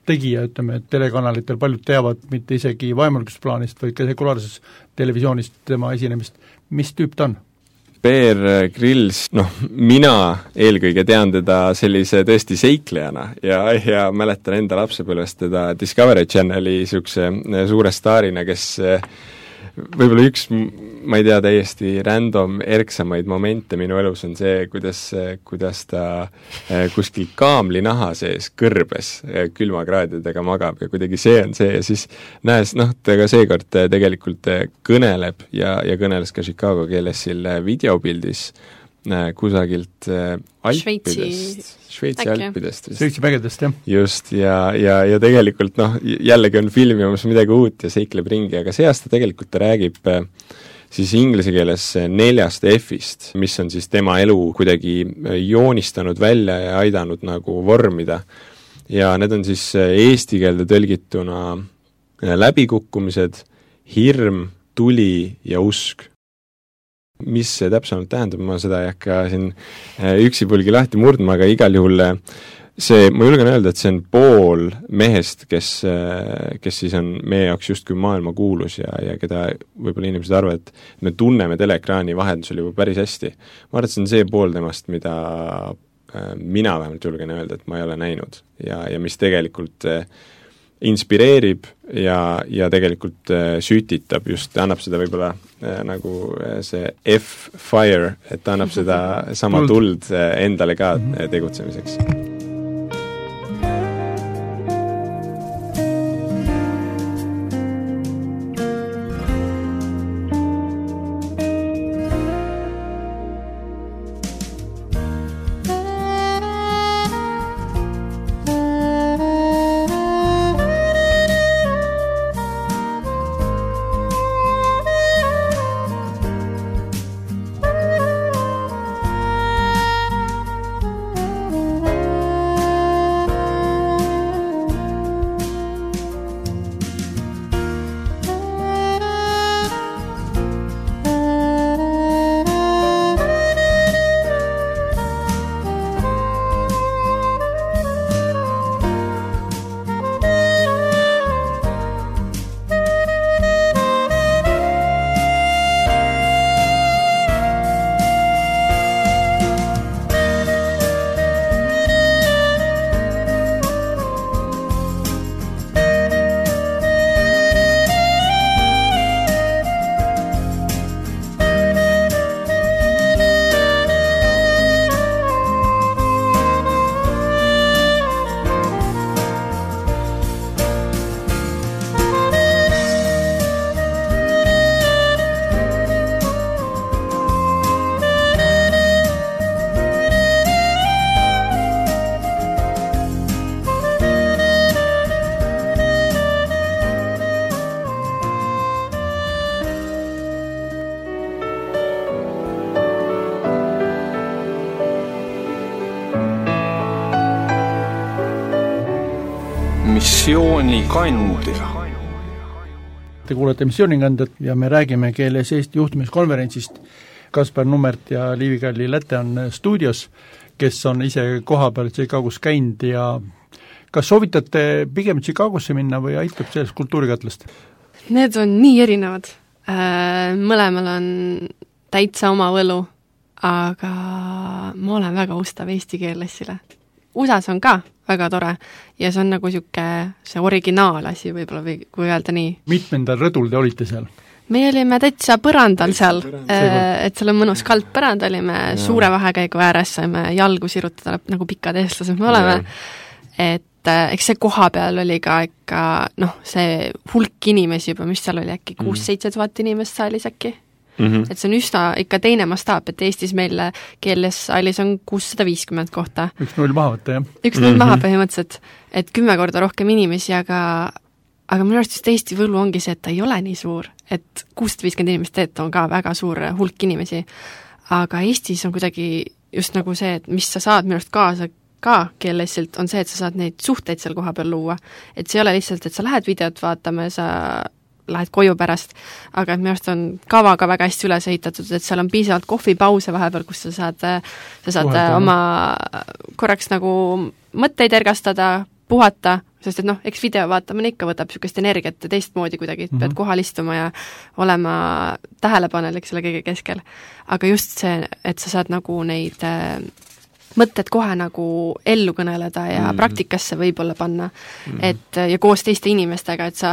tegija, ütleme, et telekanalitel paljud teavad mitte isegi vaimulikkusplaanist, vaid ka sekulaarses televisioonist tema esinemist. Mis tüüp ta on?
Bear Grylls, mina eelkõige tean teda sellise tõesti seiklejana ja mäletan enda lapsepõlvest teda Discovery Channeli niisuguse suure staarina, kes võib-olla üks, ma ei tea, täiesti random erksamaid momente minu elus on see, kuidas ta kuskil kaamlinaha sees kõrbes külmakraadidega magab ja kuidagi see on see ja siis näes, ta ka seekord tegelikult kõneleb ja kõneles ka Chicago keelesil videopildis kusagilt Alpidest, Šveitsi Alpidest.
Šveitsi mägedest, jah.
Just, ja tegelikult jällegi on filmimas midagi uut ja seikleb ringi, aga see aasta tegelikult ta räägib siis inglise keeles 4 F-ist, mis on siis tema elu kuidagi joonistanud välja ja aidanud nagu vormida. Ja need on siis eesti keelde tõlgituna läbikukkumised, hirm, tuli ja usk. Mis see täpsemalt tähendab, ma seda ei hakka siin üksipulgi lahti murdma, aga igal juhul see, ma julgen öelda, et see on pool mehest, kes siis on meie jaoks justkui maailma kuulus ja keda võib-olla inimesed arvavad, et me tunneme teleekraani vahendusel juba päris hästi. Ma arvan, et see on see pool temast, mida mina vähemalt julgen öelda, et ma ei ole näinud ja mis tegelikult inspireerib ja tegelikult sütitab just, annab seda võib-olla nagu see F-fire, et annab seda sama tuld endale ka tegutsemiseks.
missioonikandja.
Te kuulete missioonikandjat ja me räägime Keeles Eesti juhtimiskonverentsist. Kaspar Nummert ja Liivi-Kalli Läte on stuudios, kes on ise koha peal Chicago's käinud ja kas soovitate pigem Chicagosse minna või aitab sellest kultuurikatlast?
Need on nii erinevad. Mõlemal on täitsa oma võlu, aga ma olen väga ustav eesti keelessile. USAs on ka väga tore ja see on nagu see originaalasi võib-olla või kui öelda nii.
Mitmendal rõdul te olite seal?
Me olime täitsa põrandal seal, et seal on mõnus kaldpõrand, olime suure vahekäigu ääres, saime jalgu sirutada nagu pikad eestlased me oleme, et eks see koha peal oli ka ikka see hulk inimesi juba, mis seal oli äkki 6-7 tuhat inimest saalis äkki. Et see on üsna ikka teine mastaap, et Eestis meil keeles saalis on 650 kohta.
1-0 maha võtta, jah?
1-0 maha põhimõtteliselt, et 10 korda rohkem inimesi, aga minu arust just Eesti võlu ongi see, et ta ei ole nii suur, et 650 inimest on ka väga suur hulk inimesi, aga Eestis on kuidagi just nagu see, et mis sa saad minu arust kaasa ka keelesilt, on see, et sa saad neid suhteid seal koha peal luua, et see ei ole lihtsalt, et sa lähed videot vaatama ja sa lähed koju pärast, aga et minu arust on kava ka väga hästi üles ehitatud, et seal on piisavalt kohvipause vahepeal, kus sa saad oma korraks nagu mõtteid ergastada, puhata, sest et eks video vaatamine ikka võtab niisugust energiat ja teistmoodi kuidagi, et pead kohal istuma ja olema tähelepanelik selle kõige keskel. Aga just see, et sa saad nagu neid mõtted kohe nagu ellu kõneleda ja praktikasse võib-olla panna, et ja koos teiste inimestega, et sa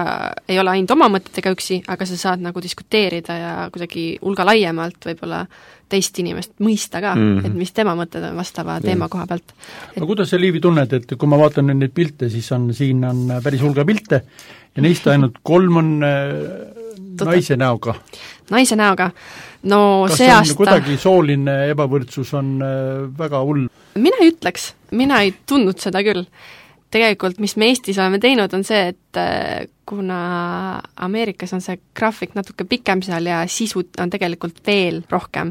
ei ole ainult oma mõtetega üksi, aga sa saad nagu diskuteerida ja kuidagi hulga laiemalt võib-olla teist inimest mõista ka, et mis tema mõtted on vastava teema koha pealt.
Aga kuidas sa, Liivi, tunned, et kui ma vaatan neid pilte, siis siin on päris hulga pilte ja neist ainult 3 on naise näoga? Naise näoga.
No
kas
see aasta...
kuidagi sooline ebavõrdsus on väga hull?
Mina ei ütleks, mina ei tundnud seda küll. Tegelikult, mis me Eestis oleme teinud, on see, et kuna Ameerikas on see graafik natuke pikem seal ja sisu on tegelikult veel rohkem,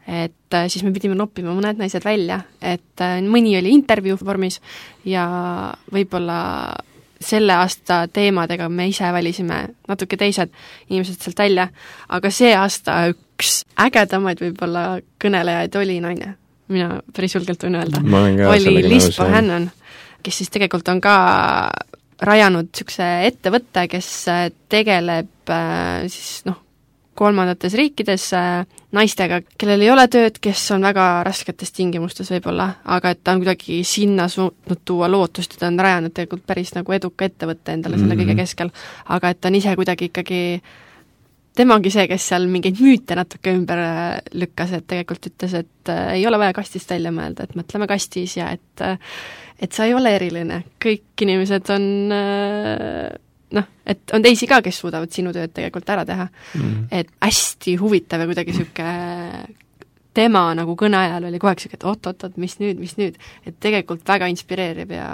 et siis me pidime noppima mõned naised välja, et mõni oli intervjuu vormis ja võib-olla selle aasta teemadega me ise valisime natuke teised inimesed sealt välja, aga see aasta üks ägedamaid võib-olla kõnelejaid oli naine. Mina päris julgelt võin öelda. Oli Liz Bohannon, kes siis tegelikult on ka rajanud niisuguse ettevõtte, kes tegeleb siis kolmandates riikides naistega, kellel ei ole tööd, kes on väga rasketes tingimustes võib-olla, aga et ta on kuidagi sinna suutnud tuua lootust ja ta on rajanud tegelikult päris nagu eduka ettevõtte endale selle kõige keskel, aga et ta on ise kuidagi ikkagi, tema ongi see, kes seal mingeid müüte natuke ümber lükkas, et tegelikult ütles, et ei ole vaja kastist välja mõelda, et mõtleme kastis ja et sa ei ole eriline, kõik inimesed on et on teisi ka, kes suudavad sinu tööd tegelikult ära teha. Et hästi huvitav ja kuidagi siuke tema nagu kõne ajal oli kogu aeg siuke, et oot, mis nüüd, et tegelikult väga inspireerib ja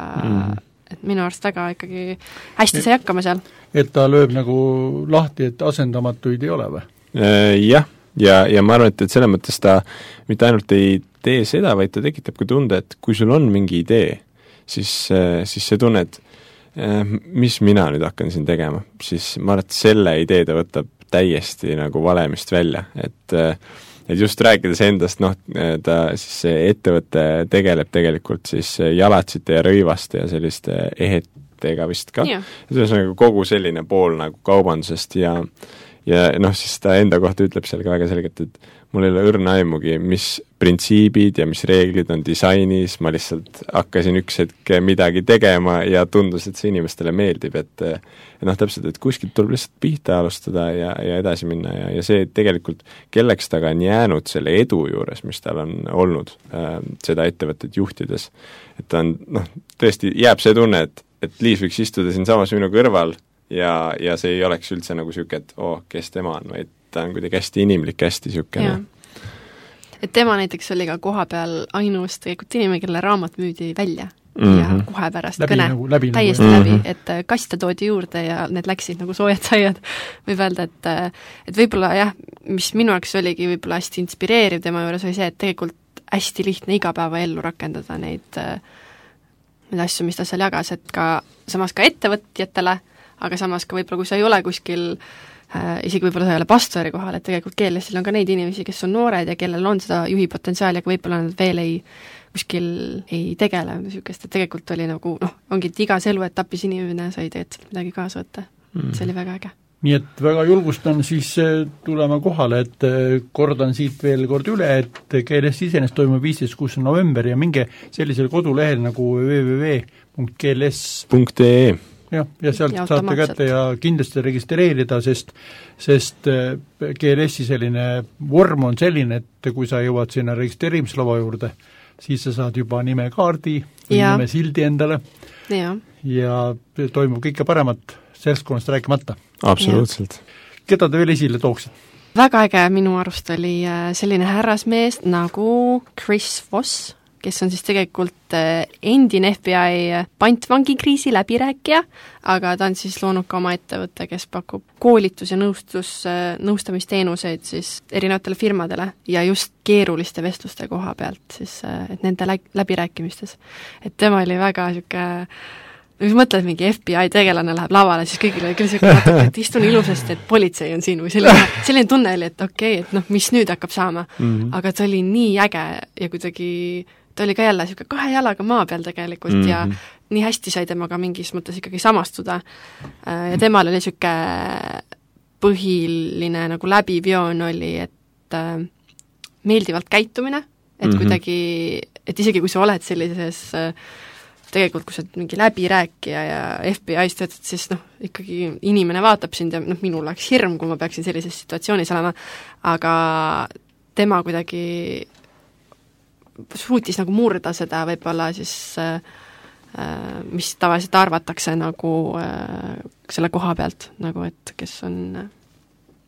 et minu arust väga ikkagi hästi sai hakkama seal. Et
ta lööb nagu lahti, et asendamatuid ei ole või?
Jah, ja ma arvan, et selles mõttes ta mitte ainult ei tee seda, vaid ta tekitab ka tunde, et kui sul on mingi idee, siis see tunne, et mis mina nüüd hakkan siin tegema, siis ma arvan, et selle idee ta võtab täiesti nagu valemist välja, et just rääkides endast, ta siis see ettevõte tegeleb tegelikult siis jalatsite ja rõivaste ja selliste ehetega vist ka, et ühesõnaga kogu selline pool nagu kaubandusest ja siis ta enda kohta ütleb seal ka väga selgelt, et mul ei ole õrna aimugi, mis printsiibid ja mis reeglid on disainis, ma lihtsalt hakkasin üks hetk midagi tegema ja tundus, et see inimestele meeldib, et täpselt, et kuskilt tuleb lihtsalt pihta alustada ja edasi minna ja see tegelikult, kelleks taga on jäänud selle edu juures, mis tal on olnud seda ettevõtet juhtides, et ta on, tõesti jääb see tunne, et Liis võiks istuda siin samas minu kõrval ja see ei oleks üldse nagu siuke, et kes tema on, vaid ta on kuidagi hästi inimlik, hästi siukene.
Et tema näiteks oli ka koha peal ainus tegelikult inimene, kelle raamat müüdi välja ja kohe pärast kõne täiesti läbi, et kaste toodi juurde ja need läksid nagu soojad saiad. Võib öelda, et võib-olla jah, mis minu jaoks oligi võib-olla hästi inspireeriv tema juures oli see, et tegelikult hästi lihtne igapäeva ellu rakendada neid neid asju, mis ta seal jagas, et ka samas ka ettevõtjatele, aga samas ka võib-olla, kui sa ei ole kuskil isegi võib-olla sa ei ole pastori kohal, et tegelikult GLS-il on ka neid inimesi, kes on noored ja kellel on seda juhi potentsiaali, aga võib-olla nad veel kuskil ei tegele niisugust, et tegelikult oli nagu ongi, et igas eluetapis inimene sai tegelikult midagi kaasa võtta. See oli väga äge.
Nii et väga julgustan siis tulema kohale, et kordan siit veel kord üle, et GLS iseenesest toimub 15. november ja minge sellisel kodulehel nagu www.gls.ee ja sealt saate kätte ja kindlasti registreerida, sest GLS-i selline vorm on selline, et kui sa jõuad sinna registreerimislava juurde, siis sa saad juba nimekaardi või nimesildi endale ja toimub kõike paremat seltskonnast rääkimata.
Absoluutselt.
Keda te veel esile tooksid?
Väga äge minu arust oli selline härrasmees nagu Chris Voss, kes on siis tegelikult endine FBI pantvangikriisi läbirääkija, aga ta on siis loonud ka oma ettevõtte, kes pakub koolitus- ja nõustamisteenuseid siis erinevatele firmadele ja just keeruliste vestluste koha pealt siis, et nende läbirääkimistes. Et tema oli väga niisugune kui mõtled, mingi FBI tegelane läheb lavale, siis kõigil oli küll natuke, et istun ilusasti, et politsei on siin või selline tunne oli, et okei, et mis nüüd hakkab saama. Aga ta oli nii äge ja kuidagi ta oli ka jälle niisugune 2 jalaga maa peal tegelikult ja nii hästi sai temaga mingis mõttes ikkagi samastuda. Ja temal oli niisugune põhiline nagu läbivion oli, et meeldivalt käitumine, et kuidagi, et isegi kui sa oled sellises tegelikult, kui sa mingi läbirääkija ja FBI-s töötad, siis ikkagi inimene vaatab sind ja minul oleks hirm, kui ma peaksin sellises situatsioonis olema, aga tema kuidagi suutis nagu murda seda võib-olla siis, mis tavaliselt arvatakse nagu selle koha pealt, nagu et kes on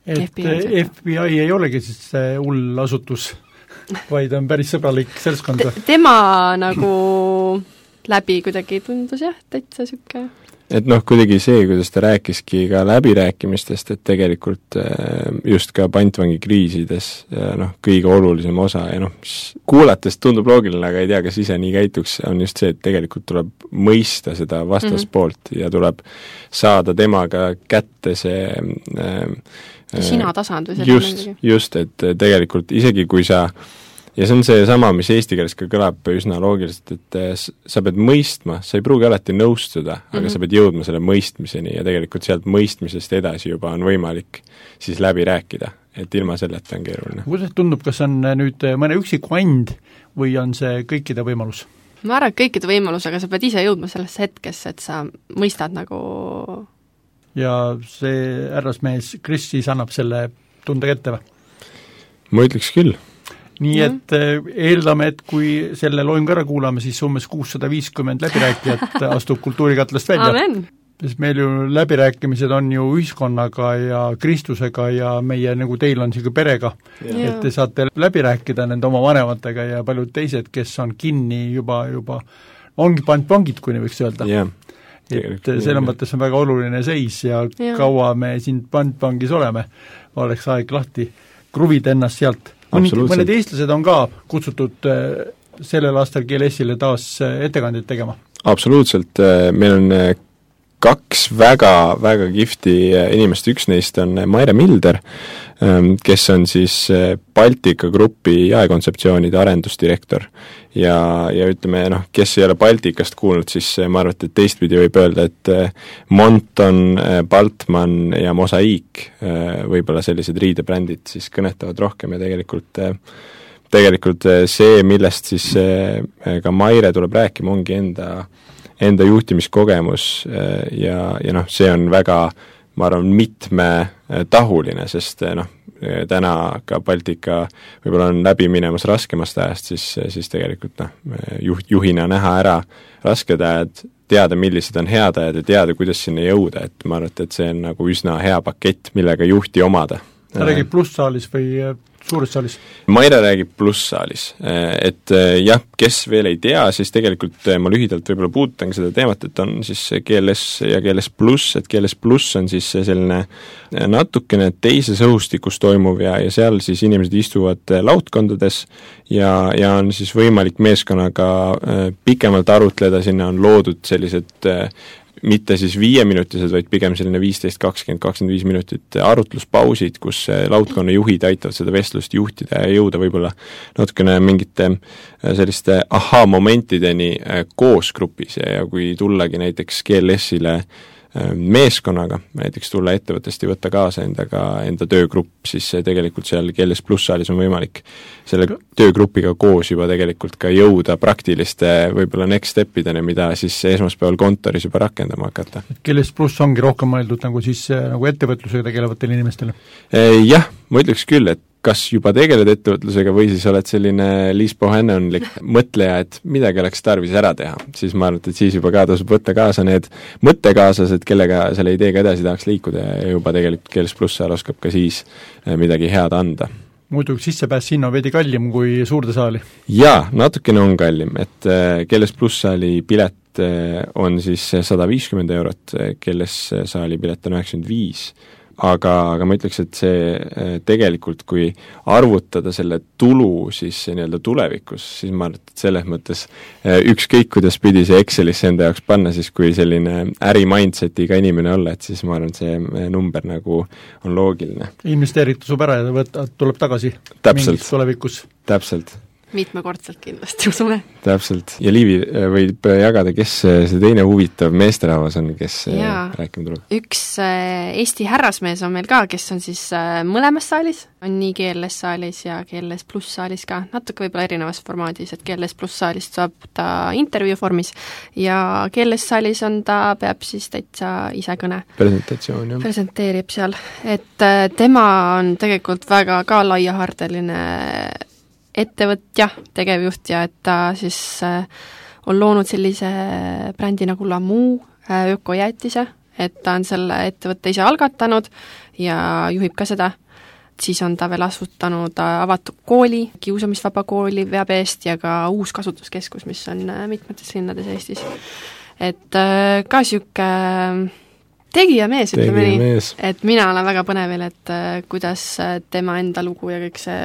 FBI ei olegi siis hull asutus, vaid on päris sõbralik seltskond.
Tema nagu läbi kuidagi tundus täitsa siuke.
Et kuidagi see, kuidas ta rääkiski ka läbirääkimistest, et tegelikult just ka pantvangikriisides kõige olulisem osa ja kuulates tundub loogiline, aga ei tea, kas ise nii käituks, on just see, et tegelikult tuleb mõista seda vastaspoolt ja tuleb saada temaga kätte see
sina tasand või
just, et tegelikult isegi kui sa ja see on see sama, mis eesti keeles ka kõlab üsna loogiliselt, et sa pead mõistma, sa ei pruugi alati nõustuda, aga sa pead jõudma selle mõistmiseni ja tegelikult sealt mõistmisest edasi juba on võimalik siis läbi rääkida, et ilma selleta on keeruline.
Kuidas tundub, kas on nüüd mõne üksiku and või on see kõikide võimalus?
Ma arvan, et kõikide võimalus, aga sa pead ise jõudma sellesse hetkesse, et sa mõistad nagu
ja see härrasmees Chris siis annab selle tunde kätte või?
Ma ütleks küll.
Nii et eeldame, et kui selle loim ära kuulame, siis umbes 650 läbirääkijat astub kultuurikatlast välja.
Amen!
Sest meil ju läbirääkimised on ju ühiskonnaga ja Kristusega ja meie nagu teil on siuke perega, et te saate läbi rääkida nende oma vanematega ja paljud teised, kes on kinni juba ongi pangid, kui nii võiks öelda. Et selle mõttes on väga oluline seis ja kaua me siin pangis oleme, oleks aeg lahti kruvida ennast sealt. Mõned eestlased on ka kutsutud sellel aastal GLS-ile taas ettekandeid tegema.
Absoluutselt, meil on 2 väga kihvti inimest, üks neist on Maire Milder, kes on siis Baltika grupi jaekontseptsioonide arendusdirektor ja ütleme, kes ei ole Baltikast kuulnud, siis ma arvan, et teistpidi võib öelda, et Monton, Baltman ja Mosaiik, võib-olla sellised riidebrändid siis kõnetavad rohkem ja tegelikult see, millest siis ka Maire tuleb rääkima, ongi enda juhtimiskogemus ja see on väga, ma arvan, mitmetahuline, sest täna ka Baltika võib-olla on läbi minemas raskemast ajast, siis tegelikult juhina näha ära rasked ajad, teada, millised on head ajad ja teada, kuidas sinna jõuda, et ma arvan, et see on nagu üsna hea pakett, millega juhti omada.
ta räägib plusssaalis või suures saalis?
Maire räägib plusssaalis, et jah, kes veel ei tea, siis tegelikult ma lühidalt võib-olla puudutan seda teemat, et on siis GLS ja GLS pluss, et GLS pluss on siis selline natukene teises õhustikus toimuv ja seal siis inimesed istuvad laudkondades ja on siis võimalik meeskonnaga pikemalt arutleda, sinna on loodud sellised mitte siis 5-minutised, vaid pigem selline 15, 20, 25 minutit arutluspausid, kus laudkonna juhid aitavad seda vestlust juhtida ja jõuda võib-olla natukene mingite selliste ahaa-momentideni koos grupis ja kui tullagi näiteks GLS-ile meeskonnaga, näiteks tulla ettevõttest ja võtta kaasa enda töögrupp, siis tegelikult seal GLS pluss saalis on võimalik selle töögrupiga koos juba tegelikult ka jõuda praktiliste võib-olla next stepideni, mida siis esmaspäeval kontoris juba rakendama hakata.
GLS pluss ongi rohkem mõeldud nagu siis nagu ettevõtlusega tegelevatele inimestele?
Jah, ma ütleks küll, et kas juba tegeled ettevõtlusega või siis oled selline Liis Bohannonlik mõtleja, et midagi oleks tarvis ära teha, siis ma arvan, et siis juba ka tasub võtta kaasa need mõttekaaslased, kellega selle ideega edasi tahaks liikuda ja juba tegelikult GLS pluss saal oskab ka siis midagi head anda.
Muidu sissepääs sinna on veidi kallim kui suurde saali? Jaa,
natukene on kallim, et GLS pluss saali pilet on siis 150 €, GLS saali pilet on 95, aga ma ütleks, et see tegelikult, kui arvutada selle tulu siis nii-öelda tulevikus, siis ma arvan, et selles mõttes ükskõik, kuidas pidi see Excelisse enda jaoks panna, siis kui selline äri-mindsetiga inimene olla, et siis ma arvan, et see number nagu on loogiline.
Investeeritu sub ära ja tuleb tagasi mingis tulevikus.
Täpselt.
Mitmekordselt kindlasti, usume.
Täpselt. Ja Liivi võib jagada, kes see teine huvitav meesterahvas on, kes rääkima tuleb?
Üks Eesti härrasmees on meil ka, kes on siis mõlemas saalis, on nii GLS saalis ja GLS pluss saalis ka, natuke võib-olla erinevas formaadis, et GLS pluss saalist saab ta intervjuu vormis ja GLS saalis peab siis täitsa ise kõne.
Presentatsioon, jah.
Presenteerib seal, et tema on tegelikult väga ka laiahardeline ettevõtja, tegevjuht ja et ta siis on loonud sellise brändi nagu Lamu ökojäätise, et ta on selle ettevõtte ise algatanud ja juhib ka seda. Siis on ta veel asutanud avatud kooli, kiusamisvaba kooli veab eest ja ka uus kasutuskeskus, mis on mitmetes linnades Eestis. Et ka siuke tegija mees, ütleme nii, et mina olen väga põnevil, et kuidas tema enda lugu ja kõik see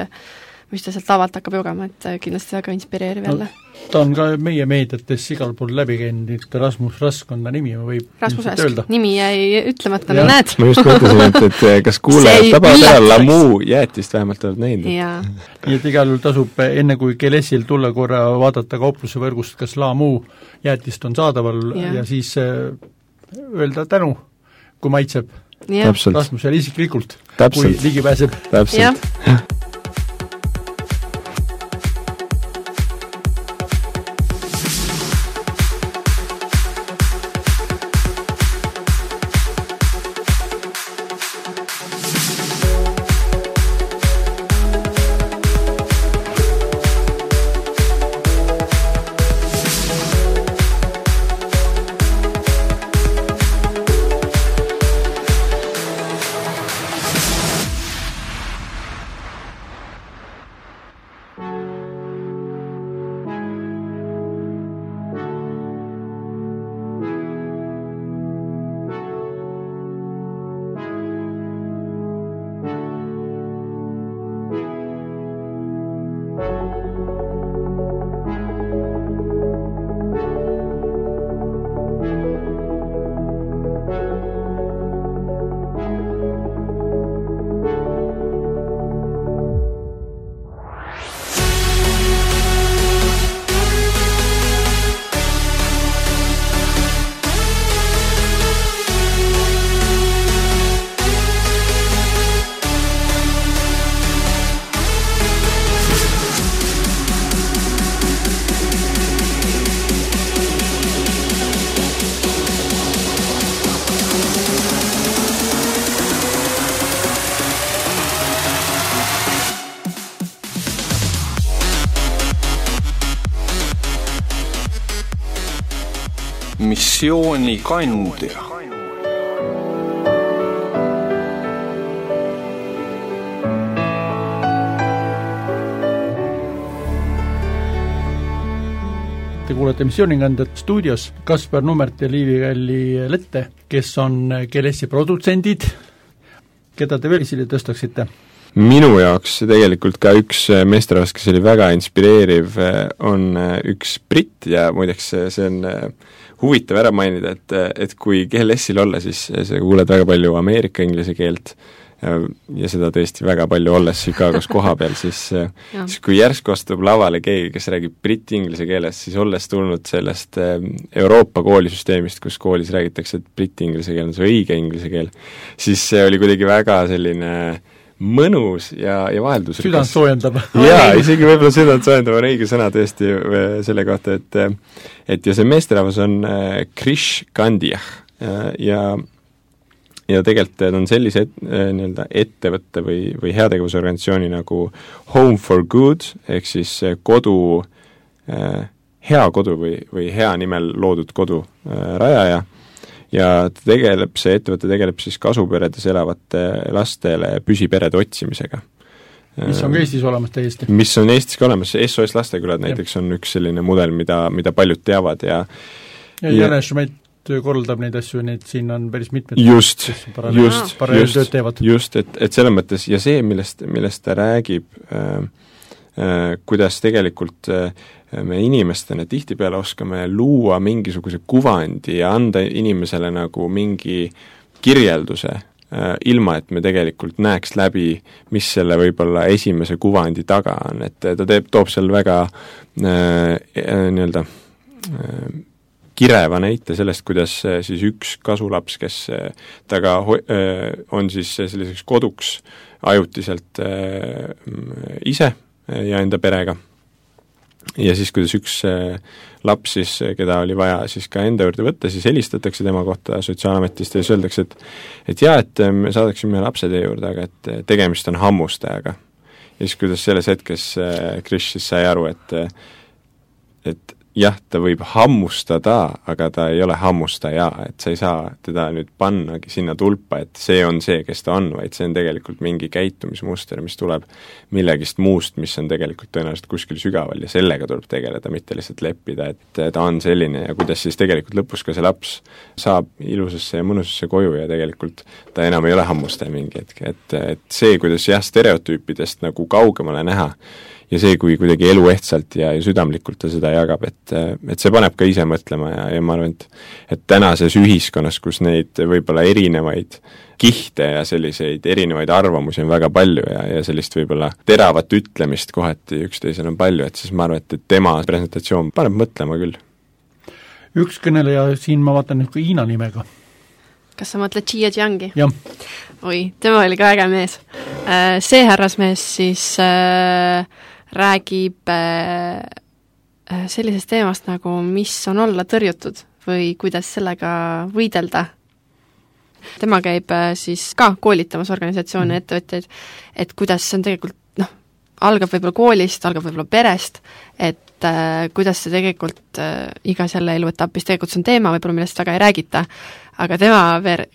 mis ta sealt lavalt hakkab jogama, et kindlasti väga inspireeriv jälle.
Ta on ka meie meediates igal pool läbi käinud, Rasmus Rask on ta nimi, võib
Rasmus Rask, nimi jäi ütlemata, näed.
Ma just mõtlesin, et kas kuulajad tabavad ära Lamu jäätist vähemalt oled näinud.
Nii et igal juhul tasub enne kui GLS-il tulla korra vaadata kaupluse võrgust, kas Lamu jäätist on saadaval ja siis öelda tänu, kui maitseb Rasmusele isiklikult, kui ligi pääseb.
Täpselt.
Missioonikandja.
Te kuulete Missioonikandet stuudios Kaspar Nummert ja Liivi-Kalli Lette, kes on GLS-i produtsendid. Keda te veel esile tõstaksite?
Minu jaoks tegelikult ka üks meesterahvas, kes oli väga inspireeriv, on üks britt ja muideks see on huvitav ära mainida, et kui GLS-il olla, siis sa kuuled väga palju Ameerika inglise keelt ja seda tõesti väga palju olles Chicagos koha peal, siis kui järsku astub lavale keegi, kes räägib briti inglise keeles, siis olles tulnud sellest Euroopa koolisüsteemist, kus koolis räägitakse, et briti inglise keel on see õige inglise keel, siis see oli kuidagi väga selline mõnus ja vaheldusrikas.
Südant soojendab.
Jaa, isegi võib-olla südant soojendab on õige sõna tõesti selle kohta, et ja see meesterahvas on Krish Kandiah ja tegelikult on sellise nii-öelda ettevõtte või heategevusorganisatsiooni nagu Home for Good, ehk siis kodu, hea kodu või hea nimel loodud kodu rajaja, ja see ettevõte tegeleb siis kasuperedes elavate lastele püsiperede otsimisega.
Mis on ka Eestis olemas täiesti?
Mis on Eestis ka olemas, SOS Lastekülad näiteks on üks selline mudel, mida paljud teavad ja
Jane Schmidt korraldab neid asju, nii et siin on päris mitmed
paralleeltööd teevad. Just, et selles mõttes, ja see, millest ta räägib, kuidas tegelikult me inimestena tihtipeale oskame luua mingisuguse kuvandi ja anda inimesele nagu mingi kirjelduse, ilma et me tegelikult näeks läbi, mis selle võib-olla esimese kuvandi taga on, et ta toob seal väga nii-öelda kireva näite sellest, kuidas siis üks kasulaps, kes taga on siis selliseks koduks ajutiselt ise ja enda perega. Ja siis, kuidas üks laps siis, keda oli vaja siis ka enda juurde võtta, siis helistatakse tema kohta sotsiaalametist ja siis öeldakse, et me saadaksime lapse teie juurde, aga et tegemist on hammustajaga. Ja siis, kuidas selles hetkes Krish siis sai aru, et jah, ta võib hammustada, aga ta ei ole hammustaja, et sa ei saa teda nüüd pannagi sinna tulpa, et see on see, kes ta on, vaid see on tegelikult mingi käitumismuster, mis tuleb millegist muust, mis on tegelikult tõenäoliselt kuskil sügaval ja sellega tuleb tegeleda, mitte lihtsalt leppida, et ta on selline ja kuidas siis tegelikult lõpus ka see laps saab ilusasse ja mõnusasse koju ja tegelikult ta enam ei ole hammustaja mingi hetk, et see, kuidas stereotüüpidest nagu kaugemale näha, ja see, kui kuidagi eluehtsalt ja südamlikult ta seda jagab, et see paneb ka ise mõtlema ja ma arvan, et tänases ühiskonnas, kus neid võib-olla erinevaid kihte ja selliseid erinevaid arvamusi on väga palju ja sellist võib-olla teravat ütlemist kohati üksteisel on palju, et siis ma arvan, et tema presentatsioon paneb mõtlema küll.
Üks kõneleja siin ma vaatan nüüd ka Hiina nimega.
Kas sa mõtled Jia Jiangi?
Jah.
Oi, tema oli ka äge mees. See härrasmees siis räägib sellisest teemast nagu, mis on olla tõrjutud või kuidas sellega võidelda. Tema käib siis ka koolitamas organisatsioone ettevõtjaid, et kuidas see on tegelikult, algab võib-olla koolist, algab võib-olla perest, et kuidas see tegelikult igas jälle eluetapis tegelikult see on teema, võib-olla millest väga ei räägita, aga tema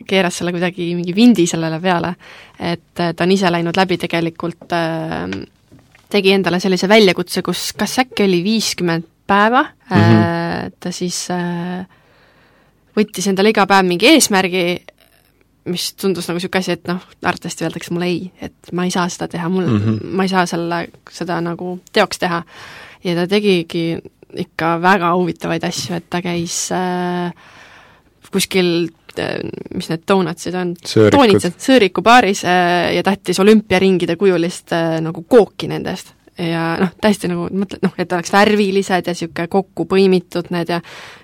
keeras selle kuidagi mingi vindi sellele peale, et ta on ise läinud läbi tegelikult tegi endale sellise väljakutse, kus kas äkki oli 50 päeva, ta siis võttis endale iga päev mingi eesmärgi, mis tundus nagu siuke asi, et arvatavasti öeldakse mulle ei, et ma ei saa seda teha, ma ei saa seda nagu teoks teha. Ja ta tegigi ikka väga huvitavaid asju, et ta käis kuskil, mis need donutsid on? Sõõriku baaris ja tahtis olümpiaringide kujulist nagu kooki nendest. Ja täiesti nagu mõtled, et oleks värvilised ja siuke kokku põimitud need ja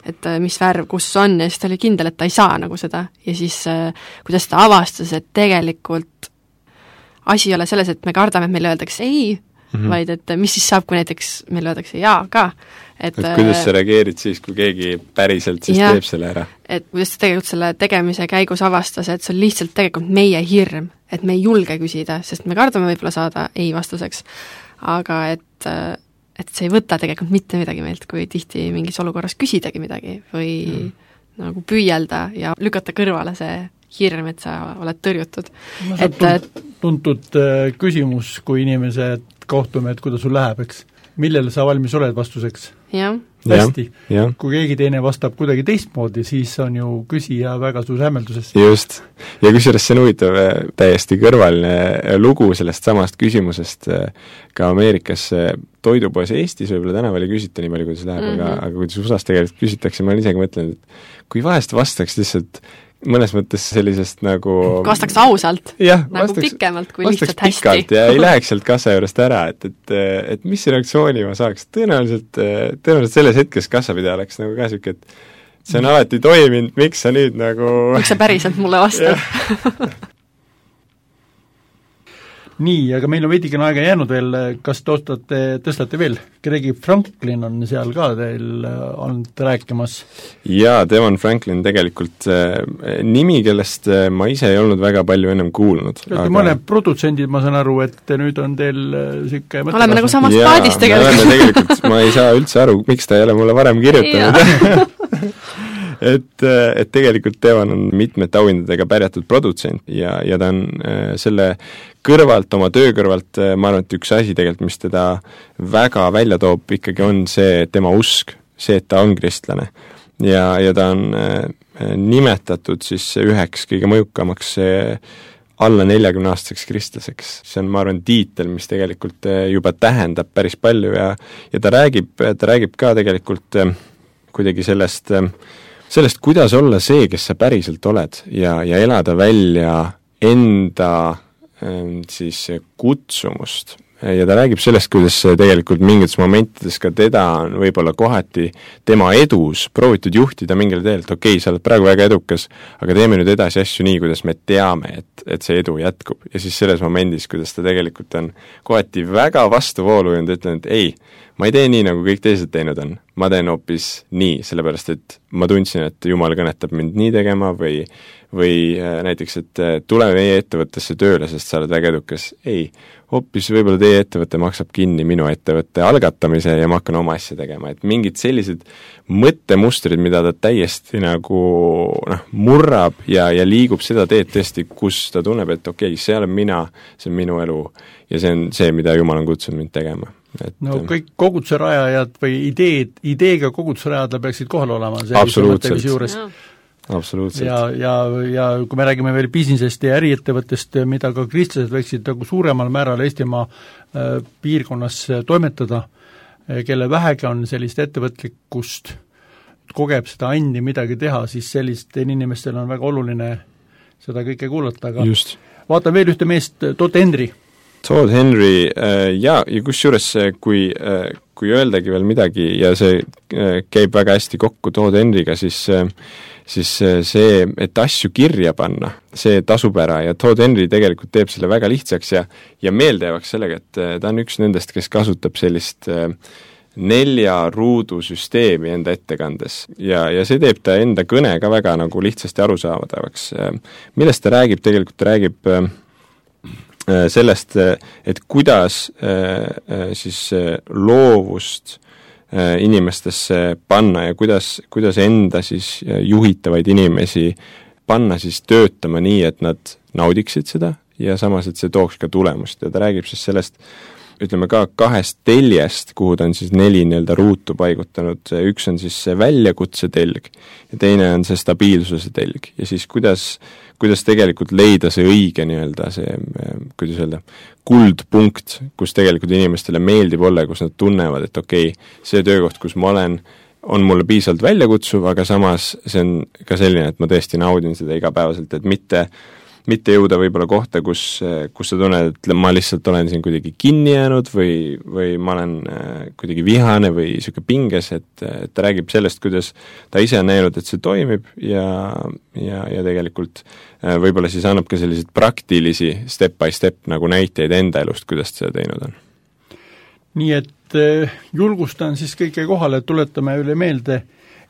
et mis värv kus on ja siis ta oli kindel, et ta ei saa nagu seda ja siis kuidas ta avastas, et tegelikult asi ei ole selles, et me kardame, et meile öeldakse ei, vaid et mis siis saab, kui näiteks meile öeldakse jaa ka.
Et kuidas sa reageerid siis, kui keegi päriselt siis teeb selle ära?
Et kuidas ta tegelikult selle tegemise käigus avastas, et see on lihtsalt tegelikult meie hirm, et me ei julge küsida, sest me kardame võib-olla saada ei vastuseks. Aga et see ei võta tegelikult mitte midagi meilt, kui tihti mingis olukorras küsidagi midagi või nagu püüelda ja lükata kõrvale see hirm, et sa oled tõrjutud.
Tuntud küsimus, kui inimesed kohtume, et kuidas sul läheb, eks? millele sa valmis oled vastuseks?
jah.
Hästi. Kui keegi teine vastab kuidagi teistmoodi, siis on ju küsija väga suus hämmelduses.
Just. Ja kusjuures see on huvitav täiesti kõrvaline lugu sellest samast küsimusest ka Ameerikas toidupoes Eestis võib-olla tänaval ei küsita nii palju, kuidas läheb, aga kuidas USAs tegelikult küsitakse, ma olen isegi mõtlenud, et kui vahest vastaks lihtsalt mõnes mõttes sellisest nagu
vastaks ausalt, nagu
vastaks,
pikemalt kui lihtsalt hästi.
Ja ei läheks sealt kassa juurest ära, et mis reaktsiooni ma saaks. Tõenäoliselt selles hetkes kassapidaja oleks nagu ka siuke, et see on alati toiminud, miks sa nüüd nagu
miks sa päriselt mulle vastad?
Nii, aga meil on veidikene aega jäänud veel, kas tõstate veel? Gregi Franklin on seal ka teil olnud rääkimas.
Jaa, Devon Franklin tegelikult nimi, kellest ma ise ei olnud väga palju ennem kuulnud.
Aga mõne produtsendid, ma saan aru, et nüüd on teil siuke
oleme nagu samast paadist
tegelikult. Ma ei saa üldse aru, miks ta ei ole mulle varem kirjutanud. et tegelikult Devon on mitmete auhindadega pärjatud produtsent ja ta on selle kõrvalt, oma töö kõrvalt, ma arvan, et üks asi tegelikult, mis teda väga välja toob, ikkagi on see tema usk, see, et ta on kristlane. Ja ta on nimetatud siis üheks kõige mõjukamaks alla 40-aastaseks kristlaseks. See on, ma arvan, tiitel, mis tegelikult juba tähendab päris palju ja ta räägib ka tegelikult kuidagi sellest, kuidas olla see, kes sa päriselt oled ja elada välja enda siis kutsumust. Ja ta räägib sellest, kuidas tegelikult mingites momentides ka teda on võib-olla kohati tema edus proovitud juhtida mingile teel, et okei, sa oled praegu väga edukas, aga teeme nüüd edasi asju nii, kuidas me teame, et see edu jätkub. Ja siis selles momendis, kuidas ta tegelikult on kohati väga vastuvoolu ja ütlen, et ei, ma ei tee nii, nagu kõik teised teinud on. Ma teen hoopis nii, sellepärast et ma tundsin, et Jumal kõnetab mind nii tegema või näiteks, et tule meie ettevõttesse tööle, sest sa oled väga edukas. Ei, hoopis võib-olla teie ettevõte maksab kinni minu ettevõtte algatamise ja ma hakkan oma asja tegema. Et mingid sellised mõttemustrid, mida ta täiesti nagu murrab ja liigub seda teed tõesti, kus ta tunneb, et okei, see olen mina, see on minu elu ja see on see, mida Jumal on kutsunud mind tegema.
No kõik koguduse rajajad või ideega koguduse rajajad peaksid kohal olema.
Absoluutselt. Absoluutselt.
Ja kui me räägime veel businessest ja äriettevõttest, mida ka kristlased võiksid nagu suuremal määral Eestimaa piirkonnas toimetada, kelle vähegi on sellist ettevõtlikkust, kogeb seda andi midagi teha, siis sellistel inimestel on väga oluline seda kõike kuulata, aga just. Vaatan veel ühte meest, Todd Henry, ja kusjuures kui öeldagi veel midagi ja see käib väga hästi kokku Todd Henryga, siis see, et asju kirja panna, see tasub ära ja Todd Henry tegelikult teeb selle väga lihtsaks ja meeldejäävaks sellega, et ta on üks nendest, kes kasutab sellist 4 ruudu süsteemi enda ettekandes ja see teeb ta enda kõne ka väga nagu lihtsasti arusaadavaks. Millest ta räägib? Tegelikult ta räägib sellest, et kuidas siis loovust inimestesse panna ja kuidas enda siis juhitavaid inimesi panna siis töötama nii, et nad naudiksid seda ja samas, et see tooks ka tulemust ja ta räägib siis sellest, ütleme ka 2 teljest, kuhu ta on siis 4 nii-öelda ruutu paigutanud, üks on siis see väljakutse telg ja teine on see stabiilsuse telg ja siis kuidas tegelikult leida see õige nii-öelda see, kuidas öelda, kuldpunkt, kus tegelikult inimestele meeldib olla ja kus nad tunnevad, et okei, see töökoht, kus ma olen, on mulle piisavalt väljakutsuv, aga samas see on ka selline, et ma tõesti naudin seda igapäevaselt, et mitte jõuda võib-olla kohta, kus sa tunned, et ma lihtsalt olen siin kuidagi kinni jäänud või ma olen kuidagi vihane või siuke pinges, et ta räägib sellest, kuidas ta ise on näinud, et see toimib ja tegelikult võib-olla siis annab ka selliseid praktilisi step by step nagu näiteid enda elust, kuidas seda teinud on. Nii et julgustan siis kõike kohale, tuletame üle meelde,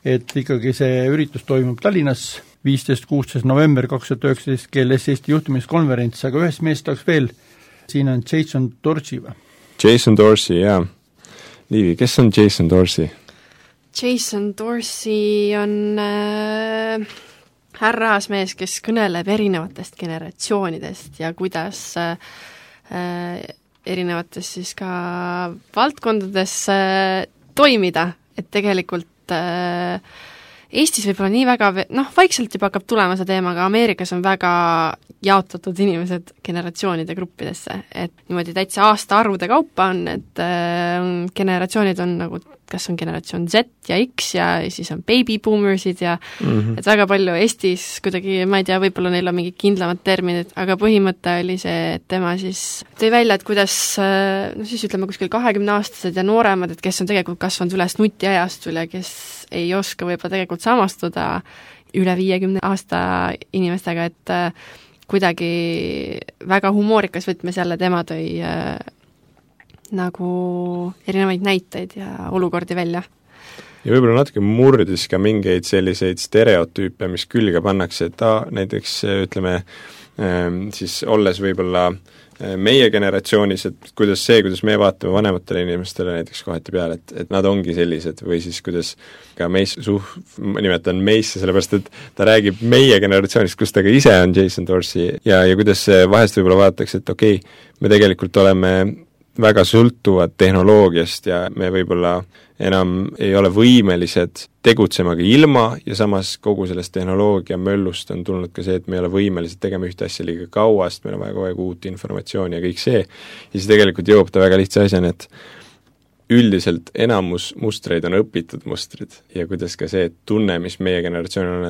et ikkagi see üritus toimub Tallinnas 15-16 november 2019 GLS Eesti juhtimiskonverents, aga ühest meest tahaks veel, siin on Jason Dorsey või?
Jason Dorsey, jaa. Liivi, kes on Jason Dorsey?
Jason Dorsey on härrasmees, kes kõneleb erinevatest generatsioonidest ja kuidas erinevates siis ka valdkondades toimida, et tegelikult Eestis võib-olla nii väga, vaikselt juba hakkab tulema see teema, aga Ameerikas on väga jaotatud inimesed generatsioonide gruppidesse, et niimoodi täitsa aastaarvude kaupa on, et generatsioonid on nagu, kas on generatsioon Z ja X ja siis on baby boomersid ja et väga palju Eestis kuidagi, ma ei tea, võib-olla neil on mingid kindlamad terminid, aga põhimõte oli see, et tema siis tõi välja, et kuidas, siis ütleme kuskil 20-aastased ja nooremad, et kes on tegelikult kasvanud üles nutiajastul ja kes ei oska võib-olla tegelikult samastuda üle 50 aasta inimestega, et kuidagi väga humoorikas võtmes jälle tema tõi nagu erinevaid näiteid ja olukordi välja.
Ja võib-olla natuke murdis ka mingeid selliseid stereotüüpe, mis külge pannakse, et näiteks ütleme siis olles võib-olla meie generatsioonis, et kuidas me vaatame vanematele inimestele näiteks kohati peale, et nad ongi sellised või siis kuidas ka nimetan meisse, sellepärast et ta räägib meie generatsioonist, kus ta ka ise on Jason Dorsey ja kuidas vahest võib-olla vaadatakse, et okei, me tegelikult oleme väga sõltuvad tehnoloogiast ja me võib-olla enam ei ole võimelised tegutsemagi ilma ja samas kogu sellest tehnoloogia möllust on tulnud ka see, et me ei ole võimelised tegema ühte asja liiga kaua, sest meil on vaja kogu aeg uut informatsiooni ja kõik see. Ja siis tegelikult jõuab ta väga lihtsa asjani, et üldiselt enamus mustreid on õpitud mustrid ja kuidas ka see tunne, mis meie generatsioonil on,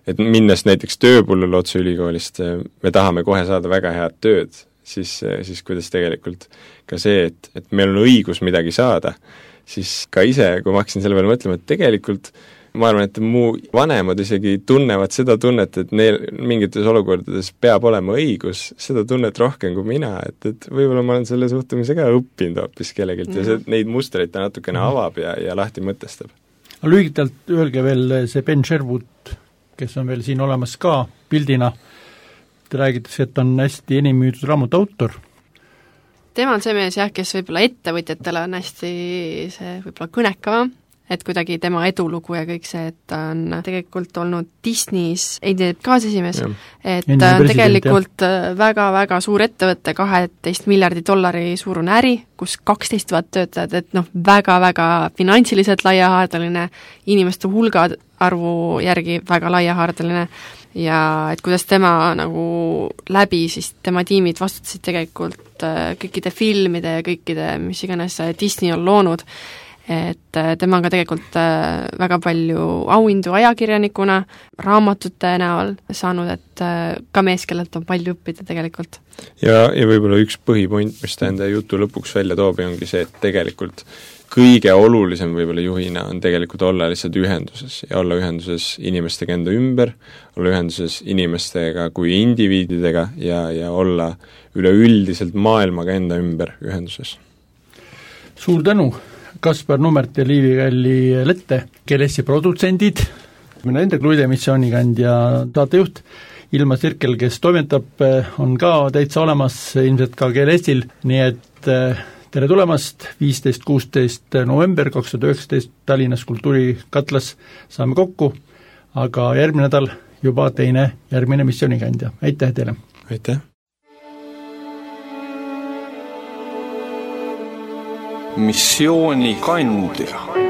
et minnes näiteks tööpullule otse ülikoolist, me tahame kohe saada väga head tööd, siis kuidas tegelikult ka see, et meil on õigus midagi saada, siis ka ise, kui ma hakkasin selle peale mõtlema, et tegelikult ma arvan, et mu vanemad isegi tunnevad seda tunnet, et neil mingites olukordades peab olema õigus, seda tunnet rohkem kui mina, et võib-olla ma olen selle suhtumise ka õppinud hoopis kellegilt ja see, neid mustreid ta natukene avab ja lahti mõtestab.
Lühidalt öelge veel see Ben Sherwood, kes on veel siin olemas ka pildina, te räägitakse, et on hästi enim müüdud raamatu autor.
Tema on see mees jah, kes võib-olla ettevõtjatele on hästi see võib-olla kõnekavam, et kuidagi tema edulugu ja kõik see, et ta on tegelikult olnud Disney's kaasesimees, et ta on tegelikult väga-väga suur ettevõte, $12 miljardi suurune äri, kus 12 000 töötajad, et väga-väga finantsiliselt laiahaardeline, inimeste hulga arvu järgi väga laiahaardeline ja et kuidas tema nagu läbi siis tema tiimid vastutasid tegelikult kõikide filmide ja kõikide, mis iganes Disney on loonud, et tema on ka tegelikult väga palju auhindu ajakirjanikuna, raamatute näol saanud, et ka mees, kellelt on palju õppida tegelikult.
Ja võib-olla üks põhipoint, mis ta enda jutu lõpuks välja toob, ongi see, et tegelikult kõige olulisem võib-olla juhina on tegelikult olla lihtsalt ühenduses ja olla ühenduses inimestega enda ümber, olla ühenduses inimestega kui indiviididega ja olla üleüldiselt maailmaga enda ümber ühenduses.
Suur tänu, Kaspar Nummert ja Liivi Kalli Lette, GLS-i produtsendid, mina enda Kluide missioonikandja saatejuht, Ilma Sirkel, kes toimetab, on ka täitsa olemas ilmselt ka GLS-il, nii et tere tulemast, 15-16 november 2019 Tallinnas Kultuurikatlas saame kokku, aga järgmine nädal juba järgmine missioonikandja. Aitäh teile!
Aitäh!
Missioonikandja